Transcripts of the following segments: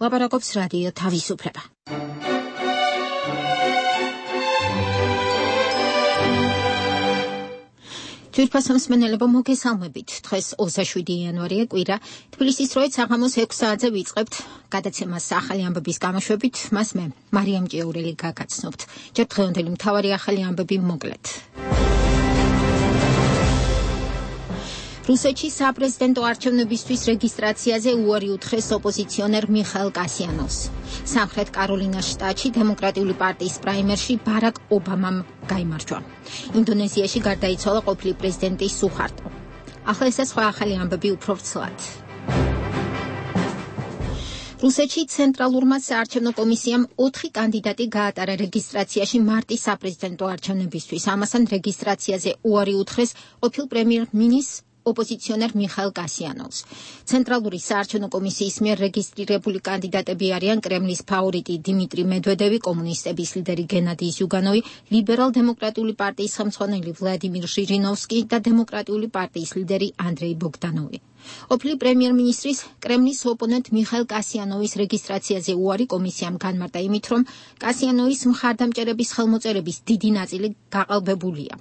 ლაპარაკობს რადიო თავისუფლება. ძვირფასო მსმენელებო, მოგესალმებით. დღეს 27 იანვარია, კვირა. თბილისის დროით საღამოს 6 საათზე ვიწყებთ გადაცემას ახალი ამბების გამოშვებით. მას მე, მარიამ ჭიაურელი გაგაცნობთ. ჯერ დღევანდელი მთავარი ახალი ამბები მოკლედ. რუსეთში საპრეზიდენტო არჩევნებისთვის რეგისტრაციაზე უარი უთხრეს ოპოზიციონერ მიხაილ კასიანოვს. სამხრეთ კაროლინას შტატში დემოკრატიული პარტიის პრაიმერში ბარაკ ობამამ გაიმარჯვა. ინდონეზიაში გარდაიცვალა ყოფილი პრეზიდენტი სუჰარტო. ახლა ეს სხვა ახალი ამბები უფრო ვრცლად. რუსეთში ცენტრალურმა საარჩევნო კომისიამ 4 კანდიდატი გაატარა რეგისტრაციაში მარტის საპრეზიდენტო არჩევნებისთვის. ამასთან რეგისტრაციაზე უარი უთხრეს ყოფილ პრემიერ-მინისტრს ოპოზიციონერ მიხაილ კასიანოვს. ცენტრალური საარჩევნო კომისიის მიერ რეგისტრირებული კანდიდატები არიან კრემლის ფავორიტი დიმიტრი მედვედევი, კომუნისტების ლიდერი გენადი ზიუგანოვი, ლიბერალ-დემოკრატიული პარტიის ხელმძღვანელი ვლადიმირ ჟირინოვსკი და დემოკრატიული პარტიის ლიდერი ანდრეი ბოგდანოვი. ყოფილი პრემიერ-მინისტრის კრემლის ოპონენტ მიხაილ კასიანოვის რეგისტრაციაზე უარი კომისიამ განმარტა იმით, რომ კასიანოვის მხარდამჭერების ხელმოწერების დიდი ნაწილი გაყალბებულია.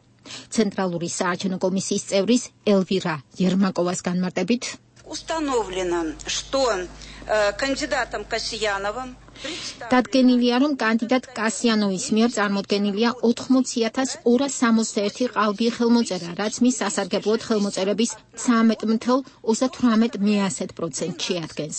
ცენტრალური საარჩევნო კომისიის წევრის ელვირა ერმაკოვას განმარტებით установлено, что кандидатом Касьяновым დადგენილია, რომ კანდიდატ კასიანოვის მიერ წარმოდგენილია 80,261 ყალბი ხელმოწერა, რაც მის სასარგებლოდ ხელმოწერების 13,38% შეადგენს.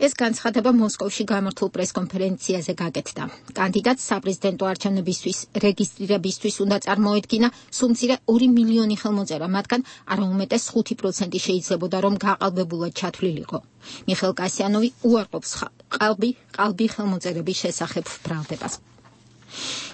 ეს განცხადება მოსკოვში გამართულ პრესკონფერენციაზე გაკეთდა. კანდიდატს საპრეზიდენტო არჩევნებისთვის რეგისტრირებისთვის უნდა წარმოედგინა სულ მცირე 2 მილიონი ხელმოწერა, მათგან არაუმეტეს 5% შეიძლებოდა, რომ გაყალბებულად ჩათვლილიყო. მიხაილ კასიანოვი უარყოფს ყალბი ხელმოწერების შესახებ ბრალდებას.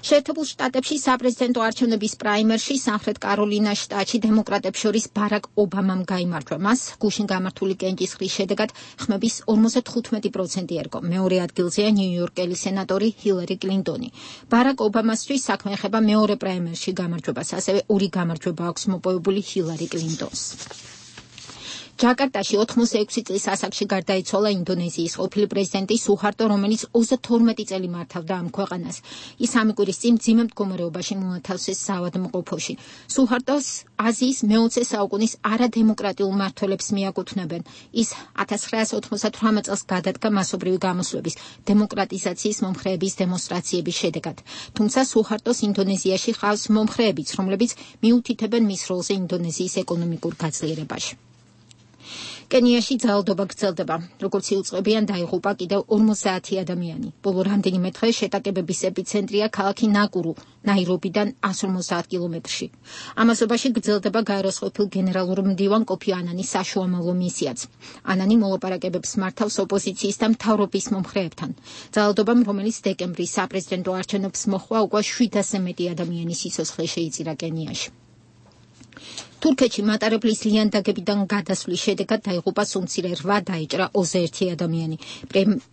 შეერთებულ შტატებში საპრეზიდენტო არჩევნების პრაიმერში სამხრეთ კაროლინას შტატში დემოკრატებს შორის ბარაკ ობამამ გაიმარჯვა. მას გუშინ გამართული კენჭისყრის შედეგად ხმების 55% ერგო. მეორე ადგილზეა ნიუ-იორკელი სენატორი ჰილარი კლინტონი. ბარაკ ობამასთვის საქმე ეხება მეორე პრაიმერში გამარჯვებას, ასევე 2 გამარჯვება აქვს მოპოვებული ჰილარი კლინტონს. ჯაკარტაში 86 წლის ასაკში გარდაიცვალა ინდონეზიის ყოფილი პრეზიდენტი სუჰარტო, რომელიც 32 წელი მართავდა ამ ქვეყანას. ის სამი კვირის წინ მძიმე მდგომარეობაში მოათავსეს საავადმყოფოში. სუჰარტოს აზიის მე-20 საუკუნის არადემოკრატიულ მმართველებს მიაკუთვნებენ. ის 1998 წელს გადადგა მასობრივი გამოსვლების დემოკრატიზაციის მომხრეების დემონსტრაციების შედეგად. თუმცა სუჰარტოს ინდონეზიაში ხავს მომხრეებიც, რომლებიც მიუთითებენ მის როლზე ინდონეზიის ეკონომიკურ გაძლიერებაში. კენიაში ძალადობა გრძელდება. როგორც იუწყებიან, დაიღუპა კიდევ 50 ადამიანი. ბოლო რამდენიმე დღე შეტაკებების ეპიცენტრია ქალაქი ნაკურუ, ნაირობიდან 150 კილომეტრში. ამასობაში გრძელდება გაეროს ყოფილ გენერალურ მდივან კოფი ანანის საშუამავლო მისიაც. ანანი მოლაპარაკებებს მართავს ოპოზიციის და მთავრობის მომხრეებთან. ძალადობამ, რომელიც დეკემბრის საპრეზიდენტო არჩევნებს მოჰყვა, უკვე 700-ზე მეტი ადამიანის სიცოცხლე შეიწირა კენიაში. თურქეთში მატარებლის ლიანდაგებიდან გადასვლის შედეგად დაიღუპა სულ-მცირე 8 დაიჭრა 21 ადამიანი.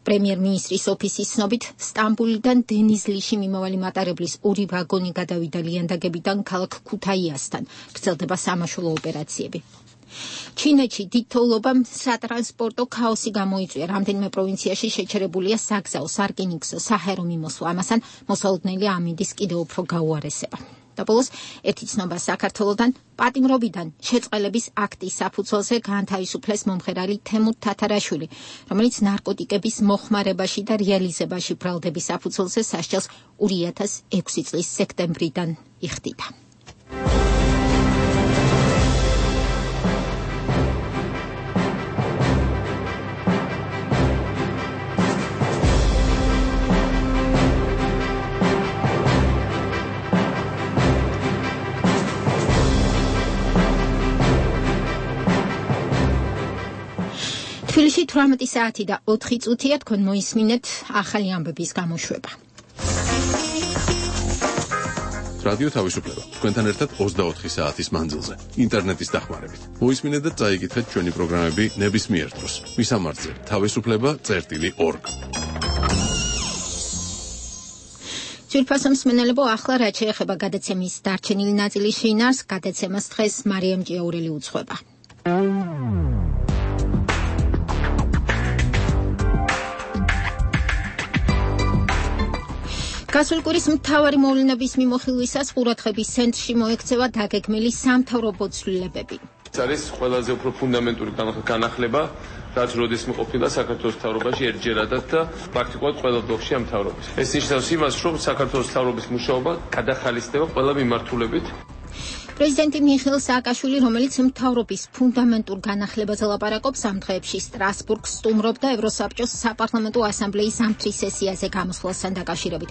პრემიერ-მინისტრის ოფისის ცნობით, სტამბულიდან დენიზლიში მიმავალი მატარებლის 2 ვაგონი გადავიდა ლიანდაგებიდან ქალაქ ქუთაიასთან. გრძელდება სამაშველო ოპერაციები. ჩინეთში დიდ თოვლობამ სატრანსპორტო ქაოსი გამოიწვია. რამდენიმე პროვინციაში შეჩერებულია საგზაო, სარკინიგზო, საჰაერო მიმოსვლა. ამასთან მოსალოდნელი ამინდის კიდევ უფრო გაუარესება. და ბოლოს ერთი ცნობა საქართველოდან პატიმრობიდან შეწყალების აქტის საფუძველზე გაანთავისუფლეს მომღერალი თემურ თათარაშვილი, რომელიც ნარკოტიკების მოხმარებაში და რეალიზებაში ბრალდების საფუძველზე სასჯელს 2006 წლის სექტემბრიდან იხდიდა. თბილისში 18 საათი და 4 წუთია, თქვენ მოისმინეთ ახალი ამბების გამოშვება. რადიო თავისუფლება. თქვენთან ერთად 24 საათის მანძილზე. ინტერნეტის დახმარებით. მოისმინეთ და წაიკითხეთ ჩვენი პროგრამები ნებისმიერ დროს. მისამართზე თავისუფლება.org. ძვირფასო მსმენელებო, ახლა რაც შეეხება გადაცემის დარჩენილი ნაწილის შინაარსს, გადაცემას დღეს მარიამ ჭიაურელი უძღვება. გასული კვირის მთავარი მოვლენების მიმოხილვისას ყურადღების ცენტრში მოექცევა დაგეგმილი სამთავრობო ცვლილებები. ეს არის ყველაზე უფრო ფუნდამენტური განახლება, რაც როდესმე ყოფილა საქართველოს მთავრობაში ერთჯერადად და პრაქტიკულად ყველა ბლოკში ამ მთავრობის. ეს ნიშნავს იმას, რომ საქართველოს მთავრობის მუშაობა გადახალისდება ყველა მიმართულებით. პრეზიდენტი მიხეილ სააკაშვილი, რომელიც მთავრობის ფუნდამენტურ განახლებაზე ლაპარაკობს, ამ დღეებში სტრასბურგს სტუმრობდა ევროსაბჭოს საპარლამენტო ასამბლეის ზამთრის სესიაზე გამოსვლასთან დაკავშირებით.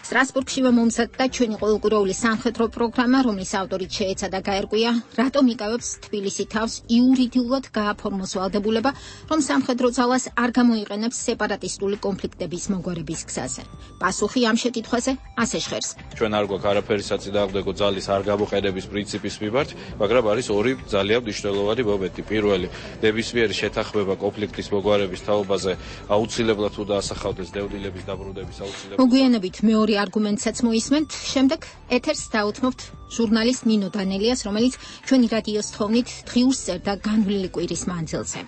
სტრასბურგშივე მომზადდა ჩვენი ყოველკვირეული სამხედრო პროგრამა, რომლის ავტორიც შეეცადა გაერკვია, რატომ იკავებს თბილისი თავს იურიდიულად გააფორმოს ვალდებულება, რომ სამხედრო ძალას არ გამოიყენებს სეპარატისტული კონფლიქტების მოგვარების გზაზე. პასუხი ამ შეკითხვაზე ასე ჟღერს. ჩვენ არ გვაქვს არაფერი საწინააღმდეგო ძალის არ გამოყენების პრინციპის მიმართ, მაგრამ არის ორი ძალიან მნიშვნელოვანი მომენტი. პირველი, ნებისმიერი შეთანხმება კონფლიქტის მოგვარების თაობაზე აუცილებლად უნდა ასახავდეს დევნილების დაბრუნების აუცილებლობას. მოგვიანებით მეორე არგუმენტსაც მოისმენთ, შემდეგ ეთერს დაუთმობთ ჟურნალისტ ნინო დანელიას, რომელიც ჩვენი რადიოს თხოვნით დღიურს წერდა განვლილი კვირის მანძილზე.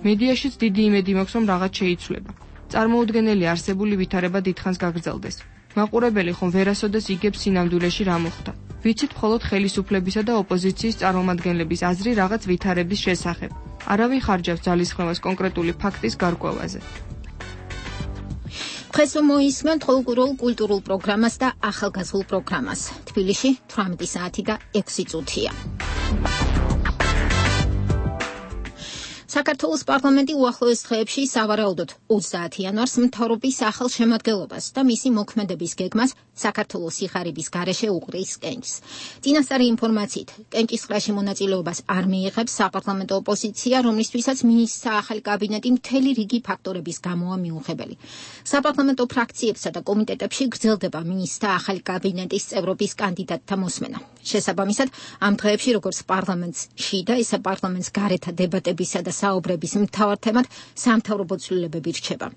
მედიაშიც დიდი იმედი მაქვს, რომ რაღაც შეიცვლება. წარმოუდგენელი არსებული ვითარება დიდხანს გაგრძელდეს. მაყურებელი ხომ ვერასოდეს იგებს სინამდვილეში რა მოხდა. ვიცით მხოლოდ ხელისუფლებისა და ოპოზიციის წარმომადგენლების აზრი რაღაც ვითარების შესახებ. არავინ ხარჯავს ძალისხმევას კონკრეტული ფაქტის გარკვევაზე. დღეს მოისმენთ ყოველკვირეულ კულტურულ პროგრამას და ახალგაზრდულ პროგრამას. თბილისში 18 საათი და 6 წუთია. საქართველოს პარლამენტი უახლოეს დღეებში სავარაუდოდ 20 იანვარს მთავრობის ახალ შემადგენლობას და მისი მოქმედების გეგმას საქართველოს სიხარების გარეშე უყრის კენჭს. წინასწარი ინფორმაციით, კენჭის ყრაში მონაწილეობას არ მიიღებს საპარლამენტო ოპოზიცია, რომლისთვისაც მინისტრთა ახალი კაბინეტი მთელი რიგი ფაქტორების გამოა მიუღებელი. საპარლამენტო ფრაქციებსა და კომიტეტებში გრძელდება მინისტრთა ახალი კაბინეტის წევრობის კანდიდატთა მოსმენა. შესაბამისად, ამ დღეებში როგორც პარლამენტს შიდა, ისე პარლამენტს გარეთა დებატებისა და საუბრების მთავარ თემად სამთავრობო ცვლილებები რჩება.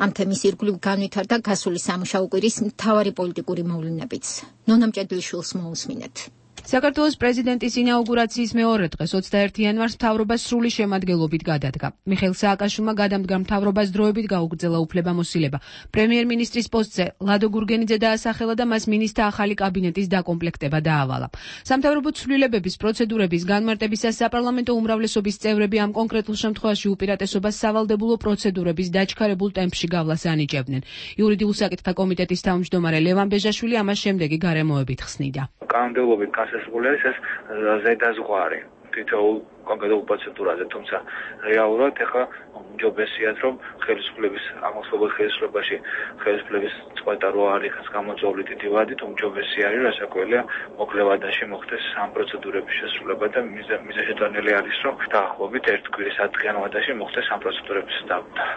ამ თემის ირგვლივ განვითარდა გასული სამუშაო კვირის მთავარი პოლიტიკური მოვლენებიც. ნონა მჭედლიშვილს მოусმინეთ. საქართველოს პრეზიდენტის ინაუგურაციის მეორე დღეს 21 იანვარს მთავრობა სრული შემადგენლობით გადადგა. მიხეილ სააკაშვილმა გადამდგარ მთავრობას დროებით გაუგრძელა უფლებამოსილება. პრემიერ-მინისტრის პოსტზე ლადო გურგენიძე დაასახელა და მას მინისტრთა ახალი კაბინეტის დაკომპლექტება დაავალა. სამთავრობო ცვლილებების პროცედურების განმარტებისას საპარლამენტო უმრავლესობის წევრები ამ კონკრეტულ შემთხვევაში უპირატესობას სავალდებულო პროცედურების დაჩქარებულ ტემპში გავლას ანიჭებდნენ. იურიდიულ საკითხთა კომიტეტის თავმჯდომარე ლევან ბეჟაშვილი ამას შემდეგი გარემოებით ხსნიდა. კანონმდებლობით განსაზღვრული არის ეს ზედაზღვარი თითოეულ კონკრეტულ პროცედურაზე, თუმცა რეალურად ეხლა უმჯობესიათ, რომ ხელისუფლების აღმოსავლეთ ხელისუფლებაში ხელისუფლების წყვეტა რო არ იქნას გამოწვეული დიდი ვადით, უმჯობესი არის, რასაკვირველია, მოკლე ვადაში მოხდეს ამ პროცედურების შესრულება და მიზანშეტანილი არის, რომ დაახლოებით ერთ კვირის ათწლიან ვადაში მოხდეს ამ პროცედურების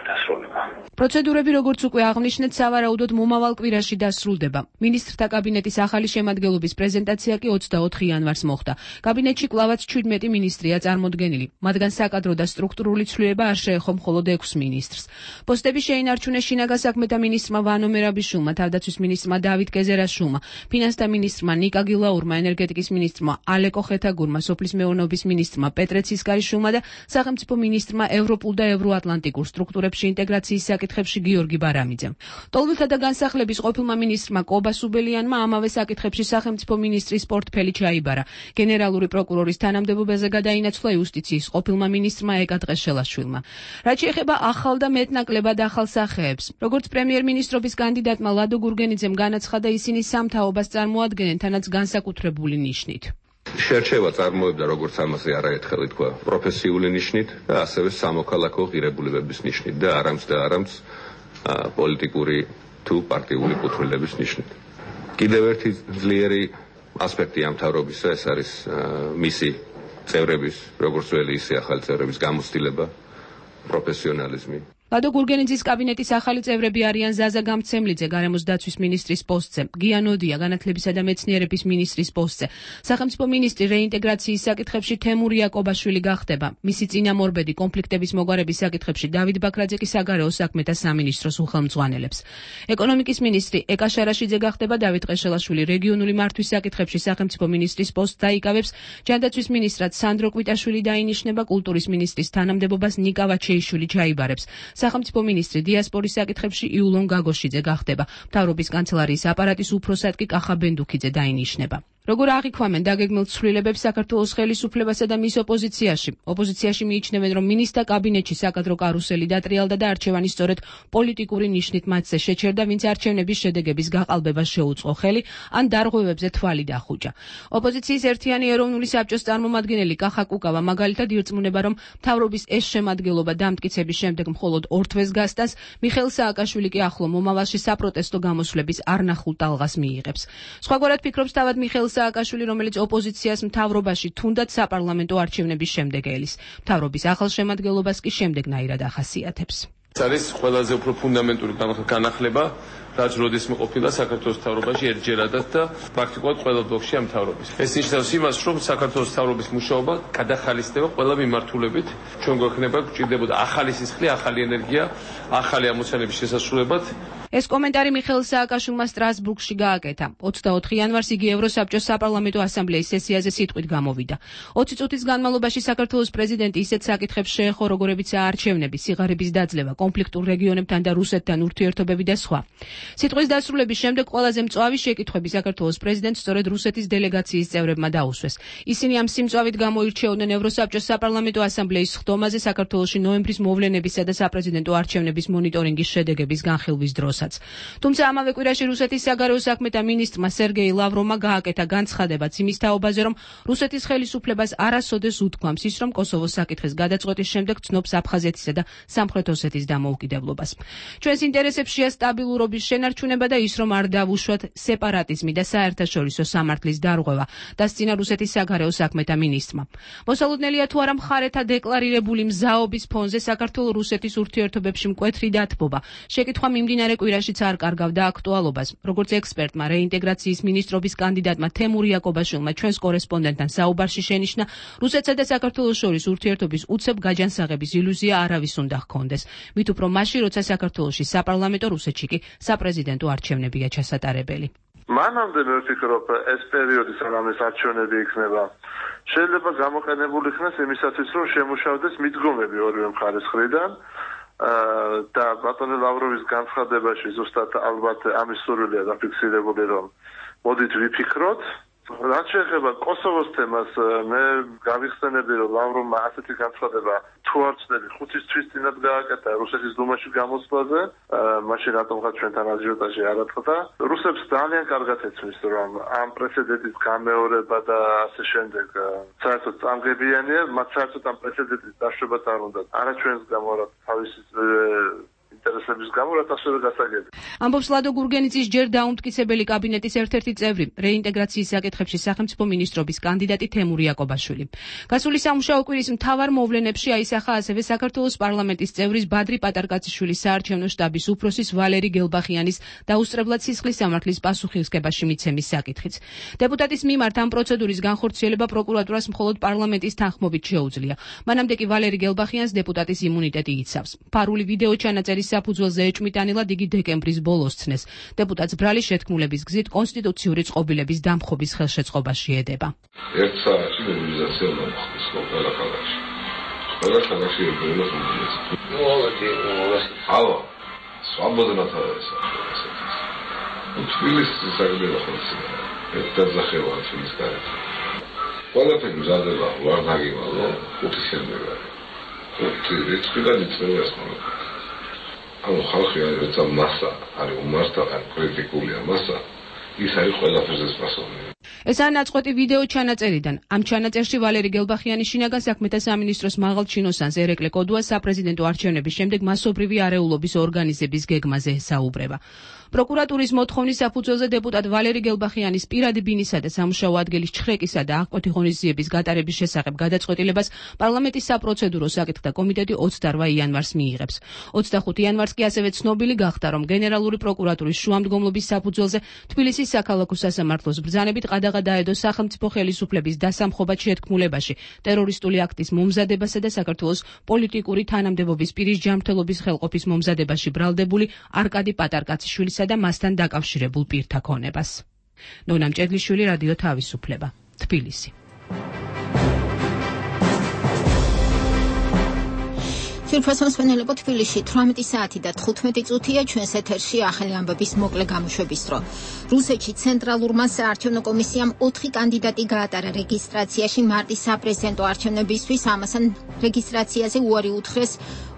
დასრულება. პროცედურები, როგორც უკვე აღნიშნეთ, სავარაუდოდ მომავალ კვირაში დასრულდება. მინისტრთა კაბინეტის ახალი შემადგენლობის პრეზენტაცია კი 24 იანვარს მოხდა. კაბინეტში კვლავაც 17 მინისტრია წარმოდგენილი. მათგან საკადრო და სტრუქტურული ცვლილება არ შეეხო მხოლოდ 6 მინისტრს. პოსტები შეინარჩუნეს შინაგან საქმეთა მინისტრმა ვანო მერაბიშვილმა, თავდაცვის მინისტრმა დავით გეზერაშვილმა, ფინანსთა მინისტრმა ნიკა გილაურმა, ენერგეტიკის მინისტრმა ალეკო ხეთაგურმა, სოფლის მეურნეობის მინისტრმა პეტრე ცისკარიშვილმა და სახელმწიფო მინისტრმა ევროპულ და ევროატლანტიკურ სტრუქტურებში ინტეგრაციის საკითხებში გიორგი ბარამიძემ. ტოლმილთა და განსახლების ყოფილმა მინისტრმა კობა სუბელიანმა ამავე საკითხებში სახელმწიფო მინისტრის პორტფელი ჩაიბარა. გენერალური პროკურორის თანამდებობაზე გადაინაცვლა იუსტიციის ყოფილმა მინისტრმა ეკა დღეშელაშვილმა. რაც შეეხება ახალ და მეტნაკლებად ახალ სახეებს, როგორც პრემიერ-მინისტრობის კანდიდატმა ლადო გურგენიძემ განაცხადა, ისინი სამთავრობას წარმოადგენენ თანაც განსაკუთრებული ნიშნით. შერჩევა წარმოებდა, როგორც ამაზე არაერთხელ ითქვა, პროფესიული ნიშნით და ასევე სამოქალაქო ღირებულებების ნიშნით და არამც პოლიტიკური თუ პარტიული კუთვნილების ნიშნით. კიდევ ერთი ძლიერი ასპექტი ამ მთავრობისა ეს არის მისი წევრების, როგორც ველი ისე ახალი წევრების გამოცდილება, პროფესიონალიზმი. ლადო გურგენიძის კაბინეტის ახალი წევრები არიან ზაზა გამცემლიძე გარემოს დაცვის მინისტრის პოსტზე, გია ნოდია განათლებისა და მეცნიერების მინისტრის პოსტზე, სახელმწიფო მინისტრი რეინტეგრაციის საკითხებში თემურ იაკობაშვილი გახდება. მისი წინამორბედი კონფლიქტების მოგვარების საკითხებში დავით ბაქრაძე კი საგარეო საქმეთა სამინისტროს უხელმძღვანელებს. ეკონომიკის მინისტრი ეკა შარაშიძე გახდება, დავით ყეშელაშვილი რეგიონული მართვის საკითხებში სახელმწიფო მინისტრის პოსტს დაიკავებს, ჯანდაცვის მინისტრად სანდრო კვიტაშვილი დაინიშნება, კულტურის მინისტრის თანამდებობას ნიკა ვაჩეიშვილი ჩაიბარებს. სახელმწიფო მინისტრი დიასპორის საკითხებში იულონ გაგოშიძე გახდება. მთავრობის კანცელარიის აპარატის უფროსად კი კახა ბენდუქიძე დაინიშნება. როგორ აღიქვამენ დაგეგმილ ცვლილებებს საქართველოს ხელისუფლებასა და მის ოპოზიციაში. ოპოზიციაში მიიჩნევენ, რომ მინისტრთა კაბინეტში საკადრო კარუსელი დატრიალდა და არჩევანი სწორედ პოლიტიკური ნიშნით მათზე შეჩერდა, ვინც არჩევნების შედეგების გაყალბებას შეუწყო ხელი, ან დარღვევებზე თვალი დახუჭა. ოპოზიციის ერთიანი ეროვნული საბჭოს წარმომადგენელი კახა კუკავა მაგალითად ირწმუნება, რომ მთავრობის ეს შემადგენლობა დამტკიცების შემდეგ მხოლოდ 2 თვეს გასტანს, მიხეილ სააკაშვილი კი ახლო მომავალში საპროტესტო გამოსვლების არნახულ ტალღას მიიღებს. სხვაგვარად ფიქრობს თავად მიხეილ სააკაშვილი, რომელიც ოპოზიციას მთავრობაში თუნდაც საპარლამენტო არჩევნების შემდეგ ელის. მთავრობის ახალ შემადგენლობას კი შემდეგნაირად ახასიათებს. ეს არის ყველაზე უფრო ფუნდამენტური განახლება, რაც როდესმე ყოფილა საქართველოს მთავრობაში ერთჯერადად და პრაქტიკულად ყველა ბლოკში ამ მთავრობის. ეს ნიშნავს იმას, რომ საქართველოს მთავრობის მუშაობა გადახალისდება ყველა მიმართულებით. ჩვენ გვექნება გვჭირდებოდა ახალი სისხლი, ახალი ენერგია, ახალი ამოცანების შესასრულებლად. ეს კომენტარი მიხეილ სააკაშვილმა სტრასბურგში გააკეთა. 24 იანვარს იგი ევროსაბჭოს საპარლამენტო ასამბლეის სესიაზე სიტყვით გამოვიდა. 20 წუთის განმავლობაში საქართველოს პრეზიდენტი ისეთ საკითხებს შეეხო, როგორებიცაა არჩევნები, სიღარიბის დაძლევა, კონფლიქტურ რეგიონებთან და რუსეთთან ურთიერთობები და სხვა. სიტყვის დასრულების შემდეგ ყველაზე მწვავი შეკითხვები საქართველოს პრეზიდენტს სწორედ რუსეთის დელეგაციის წევრებმა დაუსვეს. ისინი ამ სიმწვავით გამოირჩეოდნენ ევროსაბჭოს საპარლამენტო ასამბლეის ხდომაზე საქართველოში ნოემბრის მოვლენებისა და საპრეზიდენტო არჩევნების მონიტორინგის შედეგების განხილვის დროს. თუმცა ამავე კვირაში რუსეთის საგარეო საქმეთა მინისტრმა სერგეი ლავროვმა გააკეთა განცხადებაც იმის თაობაზე, რომ რუსეთის ხელისუფლებას არასოდეს უთქვამს ის, რომ კოსოვოს საკითხის გადაწყვეტის შემდეგ ცნობს აფხაზეთისა და სამხრეთ ოსეთის დამოუკიდებლობას. ჩვენს ინტერესებშია სტაბილურობის შენარჩუნება და ის, რომ არ დავუშვათ სეპარატიზმი და საერთაშორისო სამართლის დარღვევა, დასწინა რუსეთის საგარეო საქმეთა მინისტრმა. მოსალოდნელია თუ არა მხარეთა დეკლარირებული მზაობის ფონზე საქართველო-რუსეთის ურთიერთობებში მკვეთრი დათბობა. შეკითხვა მიმდინარე კვირაშიც არ კარგავდა აქტუალობას. როგორც ექსპერტმა რეინტეგრაციის მინისტრობის კანდიდატმა თემურ იაკობაშვილმა ჩვენს კორესპონდენტთან საუბარში შენიშნა, რუსეთსა და საქართველოს შორის ურთიერთობის უცებ გაჯანსაღების ილუზია არავის უნდა ჰქონდეს. მით უფრო მაშინ, როცა საქართველოში საპარლამენტო, რუსეთში კი საპრეზიდენტო არჩევნებია ჩასატარებელი. მანამდე მე ვფიქრობ, ეს პერიოდი სანამ ეს არჩევნები იქნება, შეიძლება გამოყენებული იქნას იმისათვის, რომ შემუშავდეს მიდგომები ორივე მხარის მხრიდან. და ბატონი ლავროვის განცხადებაში ზუსტად ალბათ ამის სურვილია დაფიქსირებული, რომ მოდით ვიფიქროთ. რაც შეეხება კოსოვოს თემას, მე გავიხსენები, რომ ლავროვმა ასეთი განცხადება თუ არ ვცდები 5 თვის წინათ გააკეთა რუსეთის დუმაში გამოსვლაზე, მაშინ რატომღაც ჩვენთან აჟიოტაჟი არ ატყდა. რუსებს ძალიან კარგად იცის, რომ ამ პრეცედენტის გამეორება და ასე შემდეგ საერთოდ წამგებიანია, მათ საერთოდ ამ პრეცედენტის დაშვებაც არ უნდა. არა ჩვენს გამო, არა თავისი ინტერესების გამო, რაც ასევე გასაგები. ამბობს ლადო გურგენიძის ჯერ დაუმტკიცებელი კაბინეტის ერთ-ერთი წევრი, რეინტეგრაციის საკითხებში სახელმწიფო მინისტრობის კანდიდატი თემურ იაკობაშვილი. გასული სამუშაო კვირის მთავარ მოვლენებში აისახა ასევე საქართველოს პარლამენტის წევრის ბადრი პატარკაციშვილის საარჩევნო შტაბის უფროსის ვალერი გელბახიანის დაუსწრებლად სისხლის სამართლის პასუხისმგებაში მიცემის საკითხიც. დეპუტატის მიმართ ამ პროცედურის განხორციელება პროკურატურას მხოლოდ პარლამენტის თანხმობით შეუძლია. მანამდე კი ვალერი გელბახიანს დეპუტატის იმუნიტეტი იცავს. ფარული ვიდეო ჩანაწერის საფუძველზე ეჭვმიტანილად იგი დეკემბრის ბოლოს ცნეს. დეპუტატს ბრალი შეთქმულების გზით კონსტიტუციური წყობილების დამხობის ხელშეწყობაში ედება. ერთ საათში მობილიზაცია მოხდეს ყველა ქალაქში. ყველა ქალაქში ებრაელებს მობილიზაცია. ალო, სვაბოდნა თავისა. თბილისის საგარეო ხელისუფლება. ერთდაზახევა თბილისის გარეთ. ყველაფერი მზადდება ვარ დაგივალო, 5 შემდეგა. 5 რიცხვიდან იწყება ეს ყველაფერი. ანუ ხალხი არის როცა მასა არის უმართა კრიტიკულია მასა, ის არის ყველაფერზე პასუხი. ეს არ ნაწყვეტი ვიდეო ჩანაწერიდან. ამ ჩანაწერში ვალერი გელბახიანი შინაგან საქმეთა სამინისტროს მაღალ ჩინოსანს ერეკლე კოდუას საპრეზიდენტო არჩევნების შემდეგ მასობრივი არეულობის ორგანიზების გეგმაზე ესაუბრება. პროკურატურის მოთხოვნის საფუძველზე დეპუტატ ვალერი გელბახიანის პირადი ბინისა და სამუშაო ადგილის ჩხრეკისა და აღკვეთი ღონისძიების გატარების შესახებ გადაწყვეტილებას პარლამენტის საპროცედურო საკითხთა კომიტეტი 28 იანვარს მიიღებს. 25 იანვარს კი ასევე ცნობილი გახდა, რომ გენერალური პროკურატურის შუამდგომლობის საფუძველზე თბილისის საქალაქო სასამართლოს ბრძანებით ყადაღა დაედო სახელმწიფო ხელისუფლების დასამხობად შეთქმულებაში, ტერორისტული აქტის მომზადებასა და საქართველოს პოლიტიკური თანამდებობის პირის ჯანმრთელობის ხელყოფის მომზადებაში ბრალდებული არკადი პატარკაციშვილის და მასთან დაკავშირებულ პირთა ქონებას. ნონა მჭედლიშვილი, რადიო თავისუფლება, თბილისი. Ძვირფასო მსმენელებო, თბილისში 18 საათი და 15 წუთია ჩვენს ეთერში ახალი ამბების მოკლე გამოშვების დრო. რუსეთში ცენტრალურმა საარჩევნო კომისიამ 4 კანდიდატი გაატარა რეგისტრაციაში მარტის საპრეზიდენტო არჩევნებისთვის, ამასთან რეგისტრაციაზე უარი უთხრეს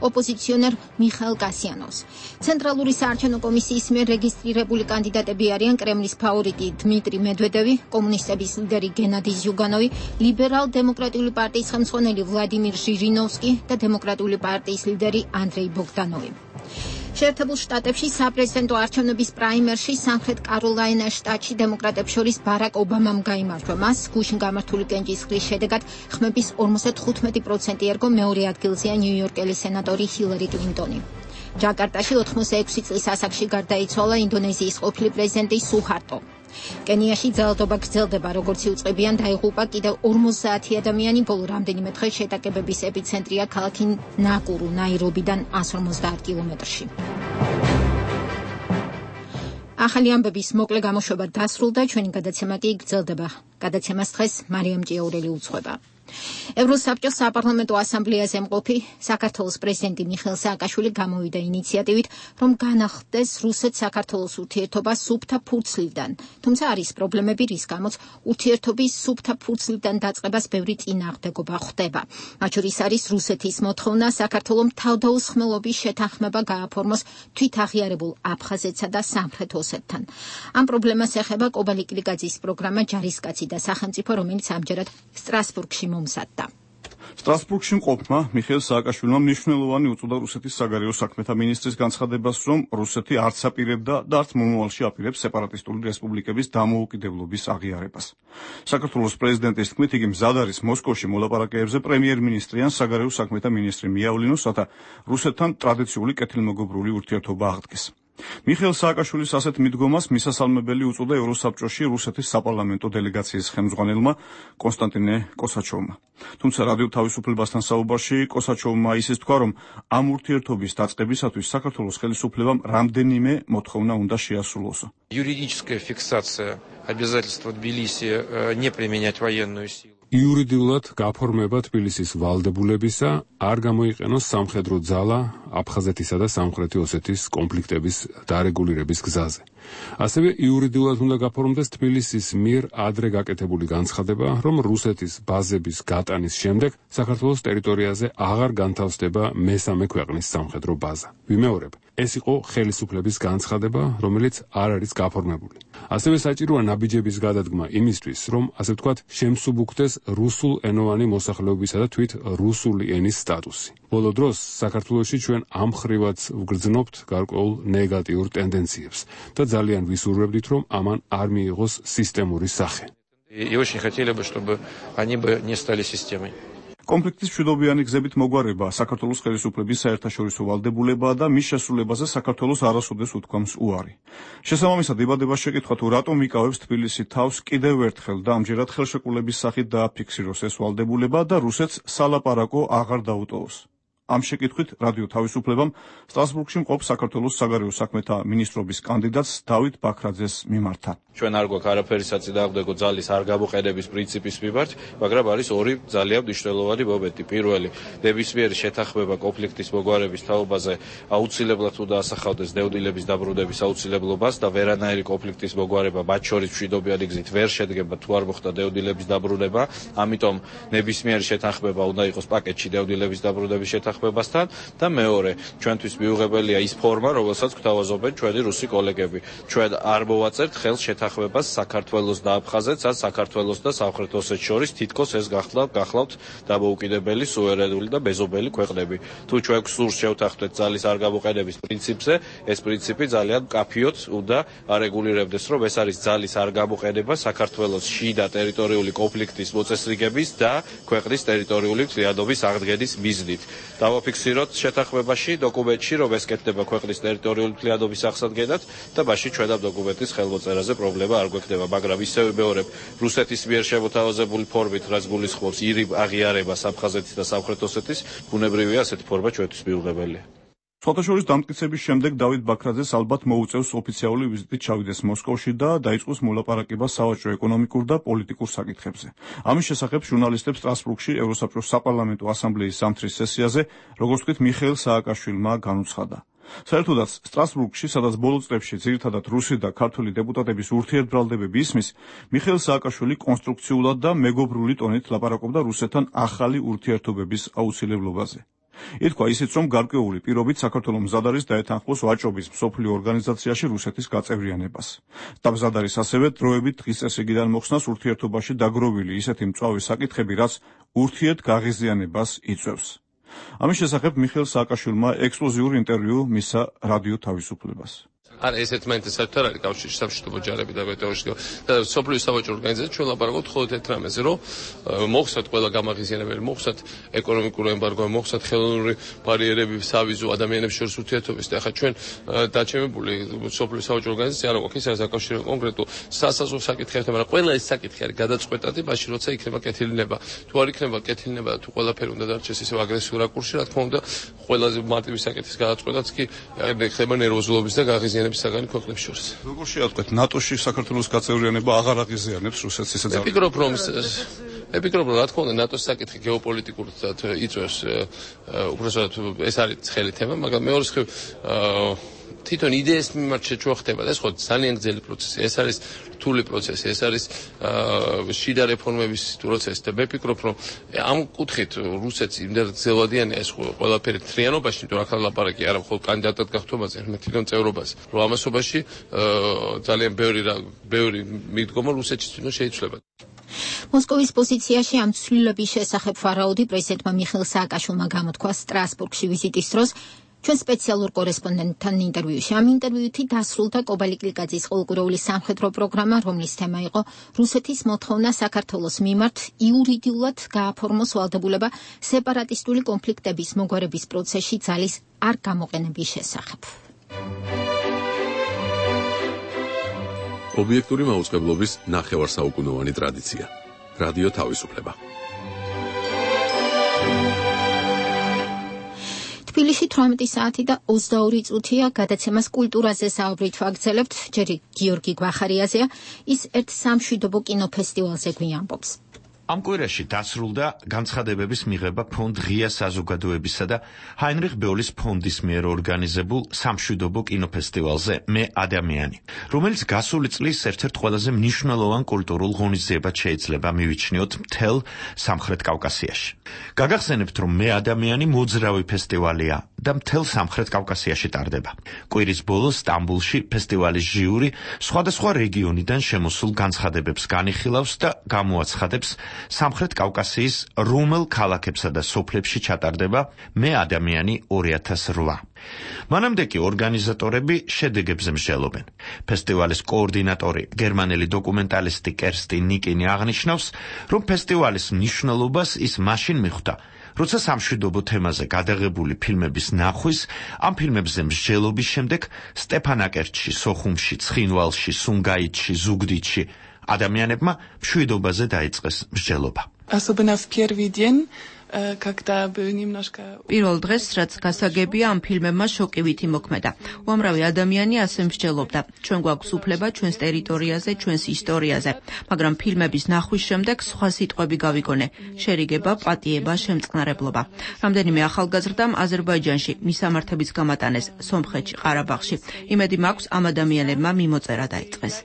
ოპოზიციონერ მიხაილ კასიანოვს. ცენტრალური საარჩევნო კომისიის მიერ რეგისტრირებული კანდიდატები არიან კრემლის ფავორიტი დმიტრი მედვედევი, კომუნისტების ლიდერი გენადი ზიუგანოვი, ლიბერალ-დემოკრატიული პარტიის ხელმძღვანელი ვლადიმირ ჟირინოვსკი და დემოკრატიული პარტიის ლიდერი ანდრეი ბოგდანოვი. შეერთებულ შტატებში საპრეზიდენტო არჩევნების პრაიმერში სამხრეთ კაროლაინას შტატში დემოკრატებს შორის ბარაკ ობამამ გაიმარჯვა. მას გუშინ გამართული კენჭისყრის შედეგად ხმების 55% ერგო მეორე ადგილზეა ნიუ-იორკელი სენატორი ჰილარი კლინტონი. ჯაკარტაში 86 წლის ასაკში გარდაიცვალა ინდონეზიის ყოფილი პრეზიდენტი სუჰარტო. კენიაში ძალადობა გრძელდება, როგორც იუწყებიან, დაიღუპა კიდევ 50 ადამიანი, ბოლო რამდენიმე დღე შეტაკებების ეპიცენტრია ქალაქი ნაკურუ, ნაირობიდან 150 კილომეტრში. ახალი ამბების მოკლე გამოშვება დასრულდა, ჩვენი გადაცემა კი გრძელდება. გადაცემას დღეს მარიამ ჭიაურელი უძღვება. ევროსაბჭოს საპარლამენტო ასამბლეაზე მყოფი საქართველოს პრეზიდენტი მიხეილ სააკაშვილი გამოვიდა ინიციატივით, რომ განახლდეს რუსეთ-საქართველოს ურთიერთობა სუფთა ფურცლიდან. თუმცა არის პრობლემები, რის გამოც ურთიერთობის სუფთა ფურცლიდან დაწყებას ბევრი წინააღმდეგობა ხდება. მათ შორის არის რუსეთის მოთხოვნა საქართველოს თავდაუსხმელობის შეთანხმება გააფორმოს თვითაღიარებულ აფხაზეთსა და სამხრეთ ოსეთთან. ამ პრობლემას ეხება კობალი კლიკაძის პროგრამა ჯარისკაცი და სახელმწიფო, რომელიც ამჯერად სტრასბურგში მომზადდა. სტრასბურგში მყოფმა მიხეილ სააკაშვილმა მნიშვნელოვანი უწოდა რუსეთის საგარეო საქმეთა მინისტრის განცხადებას, რომ რუსეთი არც აპირებდა და არც მომავალში აპირებს სეპარატისტული რესპუბლიკების დამოუკიდებლობის აღიარებას. საქართველოს პრეზიდენტის თქმით, იგი მზად არის მოსკოვში მოლაპარაკებებზე პრემიერ-მინისტრი ან საგარეო საქმეთა მინისტრი მიავლინოს, რათა რუსეთთან ტრადიციული კეთილმოგობრული ურთიერთობა აღდგეს. მიხეილ სააკაშვილის ასეთ მიდგომას მისასალმებელი უწოდა ევროსაბჭოში რუსეთის საპარლამენტო დელეგაციის ხელმძღვანელმა კონსტანტინე კოსაჩოვმა. თუმცა რადიო თავისუფლებასთან საუბარში კოსაჩოვმა ისიც თქვა, რომ ამ ურთიერთობის დაწყებისათვის საქართველოს ხელისუფლებამ რამდენიმე მოთხოვნა უნდა შეასრულოს. Юридическая фиксация обязательства Тбилиси не применять военную силу. იურიდიულად გაფორმება თბილისის ვალდებულებისა არ გამოიყენოს სამხედრო ძალა აფხაზეთისა და სამხრეთი ოსეთის კონფლიქტების დარეგულირების გზაზე. ასევე იურიდიულად უნდა გაფორმდეს თბილისის მიერ ადრე გაკეთებული განცხადება, რომ რუსეთის ბაზების გატანის შემდეგ საქართველოს ტერიტორიაზე აღარ განთავსდება მესამე ქვეყნის სამხედრო ბაზა. ვიმეორებ, ეს იყო ხელისუფლების განცხადება, რომელიც არ არის გაფორმებული. ასევე საჭიროა ნაბიჯების გადადგმა იმისთვის, რომ ასე ვთქვათ, შემსუბუქდეს რუსულ ენოვანი მოსახლეობისა და თვით რუსული ენის სტატუსი. ბოლო დროს საქართველოში ჩვენ ამ ხრივაც ვგრძნობთ გარკვეულ ნეგატიურ ტენდენციებს და ძალიან ვისურვებდით, რომ ამან არ მიიღოს სისტემური სახე. И очень хотели бы, чтобы они бы не стали системой. კონფლიქტის მშვიდობიანი გზებით მოგვარება საქართველოს ხელისუფლების საერთაშორისო ვალდებულებაა და მის შესრულებაზე საქართველოს არასოდეს უთქვამს უარი. შესაბამისად იბადება შეკითხვა, თუ რატომ იკავებს თბილისი თავს კიდევ ერთხელ და ამჯერად ხელშეკრულების სახით დააფიქსიროს ეს ვალდებულება და რუსეთს სალაპარაკო აღარ დაუტოვოს. ამ შეკითხვით რადიო თავისუფლებამ სტრასბურგში მყოფ საქართველოს საგარეო საქმეთა მინისტრობის კანდიდატს დავით ბაქრაძეს მიმართა. ჩვენ არ გვაქვს არაფერი საწინააღმდეგო ძალის არ გამოყენების პრინციპის მიმართ, მაგრამ არის ორი ძალიან მნიშვნელოვანი მომენტი. პირველი, ნებისმიერი შეთანხმება კონფლიქტის მოგვარების თაობაზე აუცილებლად უნდა ასახავდეს დევნილების დაბრუნების აუცილებლობას და ვერანაირი კონფლიქტის მოგვარება მათ შორის მშვიდობიანი გზით ვერ შედგება თუ არ მოხდა დევნილების დაბრუნება. ამიტომ ნებისმიერი შეთანხმება უნდა იყოს პაკეტში დევნილების დაბრუნების შეთანხმებასთან და მეორე, ჩვენთვის მიუღებელია ის ფორმა, რომელსაც გვთავაზობენ ჩვენი რუსი კოლეგები. ჩვენ არ მოვაწერთ ხელს შეთანხმებას საქართველოს და აფხაზეთს, ან საქართველოს და სამხრეთ ოსეთს შორის, თითქოს ეს გახლავთ დამოუკიდებელი, სუვერენული და მეზობელი ქვეყნები. თუ ჩვენ გსურს შევთანხმდეთ ძალის არ გამოყენების პრინციპზე, ეს პრინციპი ძალიან მკაფიოდ უნდა არეგულირებდეს, რომ ეს არის ძალის არ გამოყენება საქართველოს შიდა ტერიტორიული კონფლიქტის მოწესრიგების და ქვეყნის ტერიტორიული მთლიანობის აღდგენის მიზნით. დავაფიქსიროთ შეთანხმებაში, დოკუმენტში, რომ ეს კეთდება ქვეყნის ტერიტორიული მთლიანობის აღსადგენად და მაშინ ჩვენ ამ დოკუმენტის ხელმოწერაზე პრობლემა არ გვექნება, მაგრამ ისევე მეორებ რუსეთის მიერ შემოთავაზებული ფორმით, რაც გულისხმობს ირიბ აღიარებას აფხაზეთის და სამხრეთ ოსეთის, ბუნებრივია ასეთი ფორმა ჩვენთვის მიუღებელია. სხვათაშორის დამტკიცების შემდეგ დავით ბაქრაძეს ალბათ მოუწევს ოფიციალური ვიზიტით ჩავიდეს მოსკოვში და დაიწყოს მოლაპარაკება სავაჭრო ეკონომიკურ და პოლიტიკურ საკითხებზე. ამის შესახებ ჟურნალისტებს სტრასბურგში ევროსაბჭოს საპარლამენტო ასამბლეის ზამთრის სესიაზე, როგორც ვთქვით, მიხეილ სააკაშვილმა განუცხადა. საერთოდაც სტრასბურგში, სადაც ბოლო წლებში ძირითადად რუსი და ქართული დეპუტატების ურთიერთბრალდებები ისმის, მიხეილ სააკაშვილი კონსტრუქციულად და მეგობრული ტონით ლაპარაკობდა რუსეთთან ახალი ურთიერთობების აუცილებლობაზე. ითქვა ისიც, რომ გარკვეული პირობით საქართველოს მზად არის დაეთანხმოს ვაჭრობის მსოფლიო ორგანიზაციაში რუსეთის გაწევრიანებას. და მზად არის ასევე დროებით დღის წესრიგიდან მოხსნას ურთიერთობაში დაგროვილი ისეთი მწვავე საკითხები, რაც ურთიერთგაღიზიანებას იწვევს. ამის შესახებ მიხეილ სააკაშვილმა ექსკლუზიური ინტერვიუ მისცა რადიო თავისუფლებას. არა ეს ერთმანეთთან საერთოდ არ არის კავშირში სამშვიდობო ჯარები და მეტეორологია და სოფლიო სავაჭრო ორგანიზაცია ჩვენ ლაპარაკობთ მხოლოდ ერთ რამეზე რომ მოხსნათ ყველა გამაღიზიანებელი მოხსნათ ეკონომიკური ემბარგო მოხსნათ ხელოვნური ბარიერები სავიზო ადამიანებს შორის ურთიერთობის და ახლა ჩვენ დაჩემებული სოფლიო სავაჭრო ორგანიზაცია არ აქვს ის არის აკავშირებს კონკრეტულ სასაზღვრო საკითხებთან მაგრამ ყველა ეს საკითხი არის გადაწყვეტადი მაშინ როცა იქნება კეთილინება თუ არ იქნება კეთილინება თუ ყველაფერი უნდა დარჩეს ისე აგრესიულ რაკურსში რა თქმა უნდა ყველაზე მარტივი საკითხის გადაწყვეტაც კი ხდება ნერვოზულობის და გაღიზიანების საგანი ქვეყნებს შორის. როგორ შეავთქვათ ნატოში საქართველოს გაწევრიანება აღარ აღიზიანებს რუსეთს ისე ძალიან. ეპიკროპ რა თქმა უნდა ნატოს საკითხი გეოპოლიტიკურად იწვევს უბრალოდ ეს არის ცხელი თემა, მაგრამ მეორე მხრივ თვითონ იდეის მიმართ შეჭვა ხდება და ეს ხო ძალიან გრძელი პროცესი. ეს არის რთული პროცესი, ეს არის შიდა რეფორმების პროცესი და მე ვფიქრობ, რომ ამ კუთხით რუსეთს იმდენად გრძელვადიანია ეს ყველაფერი თრიანობაში, იმიტომ რომ ახლა ლაპარაკი არა მხოლოდ კანდიდატად გახდომაზე, არამედ თვითონ წევრობაზე. რომ ამასობაში ძალიან ბევრი მიდგომა რუსეთში თვითონ შეიცვლება. მოსკოვის პოზიციაში ამ ცვლილების შესახებ ვარაუდი პრეზიდენტმა მიხეილ სააკაშვილმა გამოთქვა სტრასბურგში ვიზიტის დროს. ჩვენ სპეციალურ კორესპონდენტთან ინტერვიუში ამ ინტერვიუთი დასრულდა კობალი კლიკაძის ყოველკვირეული სამხედრო პროგრამა, რომლის თემა იყო რუსეთის მოთხოვნა საქართველოს მიმართ იურიდიულად გააფორმოს ვალდებულება სეპარატისტული კონფლიქტების მოგვარების პროცესში ძალის არ გამოყენების შესახებ. ობიექტური მაუწყებლობის ნახევარსაუკუნოვანი ტრადიცია. რადიო თავისუფლება. თბილისში 18 საათი და 22 წუთია გადაცემას კულტურაზე საუბრით ვაგრძელებთ. ჯერი გიორგი გვახარიაზეა, ის ერთ სამშვიდობო კინოფესტივალზე გვიამბობს. ამ კვირაში დასრულდა განცხადებების მიღება ფონდ ღია საზოგადოებისა და ჰაინრიხ ბეოლის ფონდის მიერ ორგანიზებულ სამშვიდობო კინოფესტივალზე მე ადამიანი, რომელიც გასული წლის ერთ-ერთ ყველაზე მნიშვნელოვან კულტურულ ღონისძიებად შეიძლება მივიჩნიოთ მთელ სამხრეთ კავკასიაში. გაგახსენებთ, რომ მე ადამიანი მოძრავი ფესტივალია და მთელ სამხრეთ კავკასიაში ტარდება. კვირის ბოლოს სტამბულში ფესტივალის ჟიური სხვადასხვა რეგიონიდან შემოსულ განცხადებებს განიხილავს და გამოაცხადებს სამხრეთ კავკასიის რომელ ქალაქებსა და სოფლებში ჩატარდება მე ადამიანი 2008. მანამდე კი ორგანიზატორები შედეგებზე მსჯელობენ. ფესტივალის კოორდინატორი, გერმანელი დოკუმენტალისტი კერსტი ნიკინი აღნიშნავს, რომ ფესტივალის მნიშვნელობას ის მაშინ მიხვდა, როცა სამშვიდობო თემაზე გადაღებული ფილმების ნახვის, ამ ფილმებზე მსჯელობის შემდეგ სტეფანაკერტში, სოხუმში, ცხინვალში, სუნგაითში, ზუგდიდში ადამიანებმა მშვიდობაზე დაიწყეს მსჯელობა. Особенно в первый день, когда был немножко... პირველ დღეს, რაც გასაგებია, ამ ფილმებმა შოკივითი მოქმედა. უამრავი ადამიანი ასე მსჯელობდა. ჩვენ გვაქვს უფლება ჩვენს ტერიტორიაზე, ჩვენს ისტორიაზე. მაგრამ ფილმების ნახვის შემდეგ სხვა სიტყვები გავიგონე. შერიგება, პატიება, შემწყნარებლობა. რამდენიმე ახალგაზრდამ აზერბაიჯანში მისამართების გამატანეს, სომხეთში, ყარაბაღში. იმედი მაქვს, ამ ადამიანებმა მიმოწერა დაიწყეს.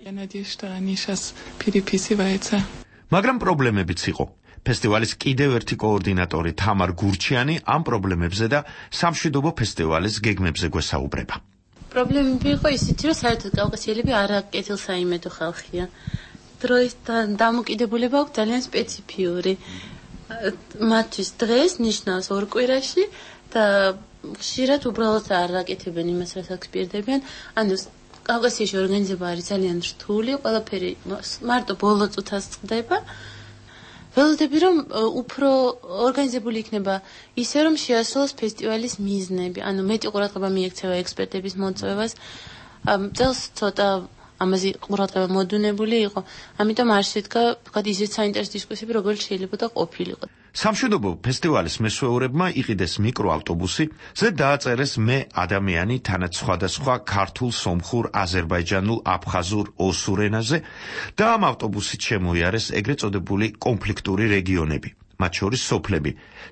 მაგრამ პრობლემებიც იყო. ფესტივალის კიდევ ერთი კოორდინატორი თამარ გურჩიანი ამ პრობლემებზე და სამშვიდობო ფესტივალის გეგმებზე გვესაუბრება. პრობლემები იყო ისეთი, რომ საერთოდ კავკასიელები არაკეთილსაიმედო ხალხია. დროისთან დამოკიდებულება აქვს ძალიან სპეციფიური. მათთვის დღეს ნიშნავს ორ კვირაში და ხშირად უბრალოდ არ აკეთებენ იმას, რასაც პირდებიან. ანუ კავკასიაში ორგანიზება არის ძალიან რთული, ყველაფერი მარტო ბოლო წუთას წყდება. ველოდები, რომ უფრო ორგანიზებული იქნება ისე, რომ შეასრულოს ფესტივალის მიზნები. ანუ მეტი ყურადღება მიექცევა ექსპერტების მოწვევას. წელს ცოტა ამაზე ყურადღება მოდუნებული იყო. ამიტომ არ შედგა ვთქვათ ისეთ საინტერესო დისკუსიები, როგორც შეიძლება და ყოფილიყო. სამშვიდობო ფესტივალის მესვეურებმა იყიდეს მიკროავტობუსი, ზე დააწერეს მე ადამიანი თანაც სხვადასხვა ქართულ, სომხურ, აზერბაიჯანულ, აფხაზურ, ოსურ ენაზე და ამ ავტობუსით შემოიარეს ეგრეთ წოდებული კონფლიქტური რეგიონები, მათ შორის სოფლები,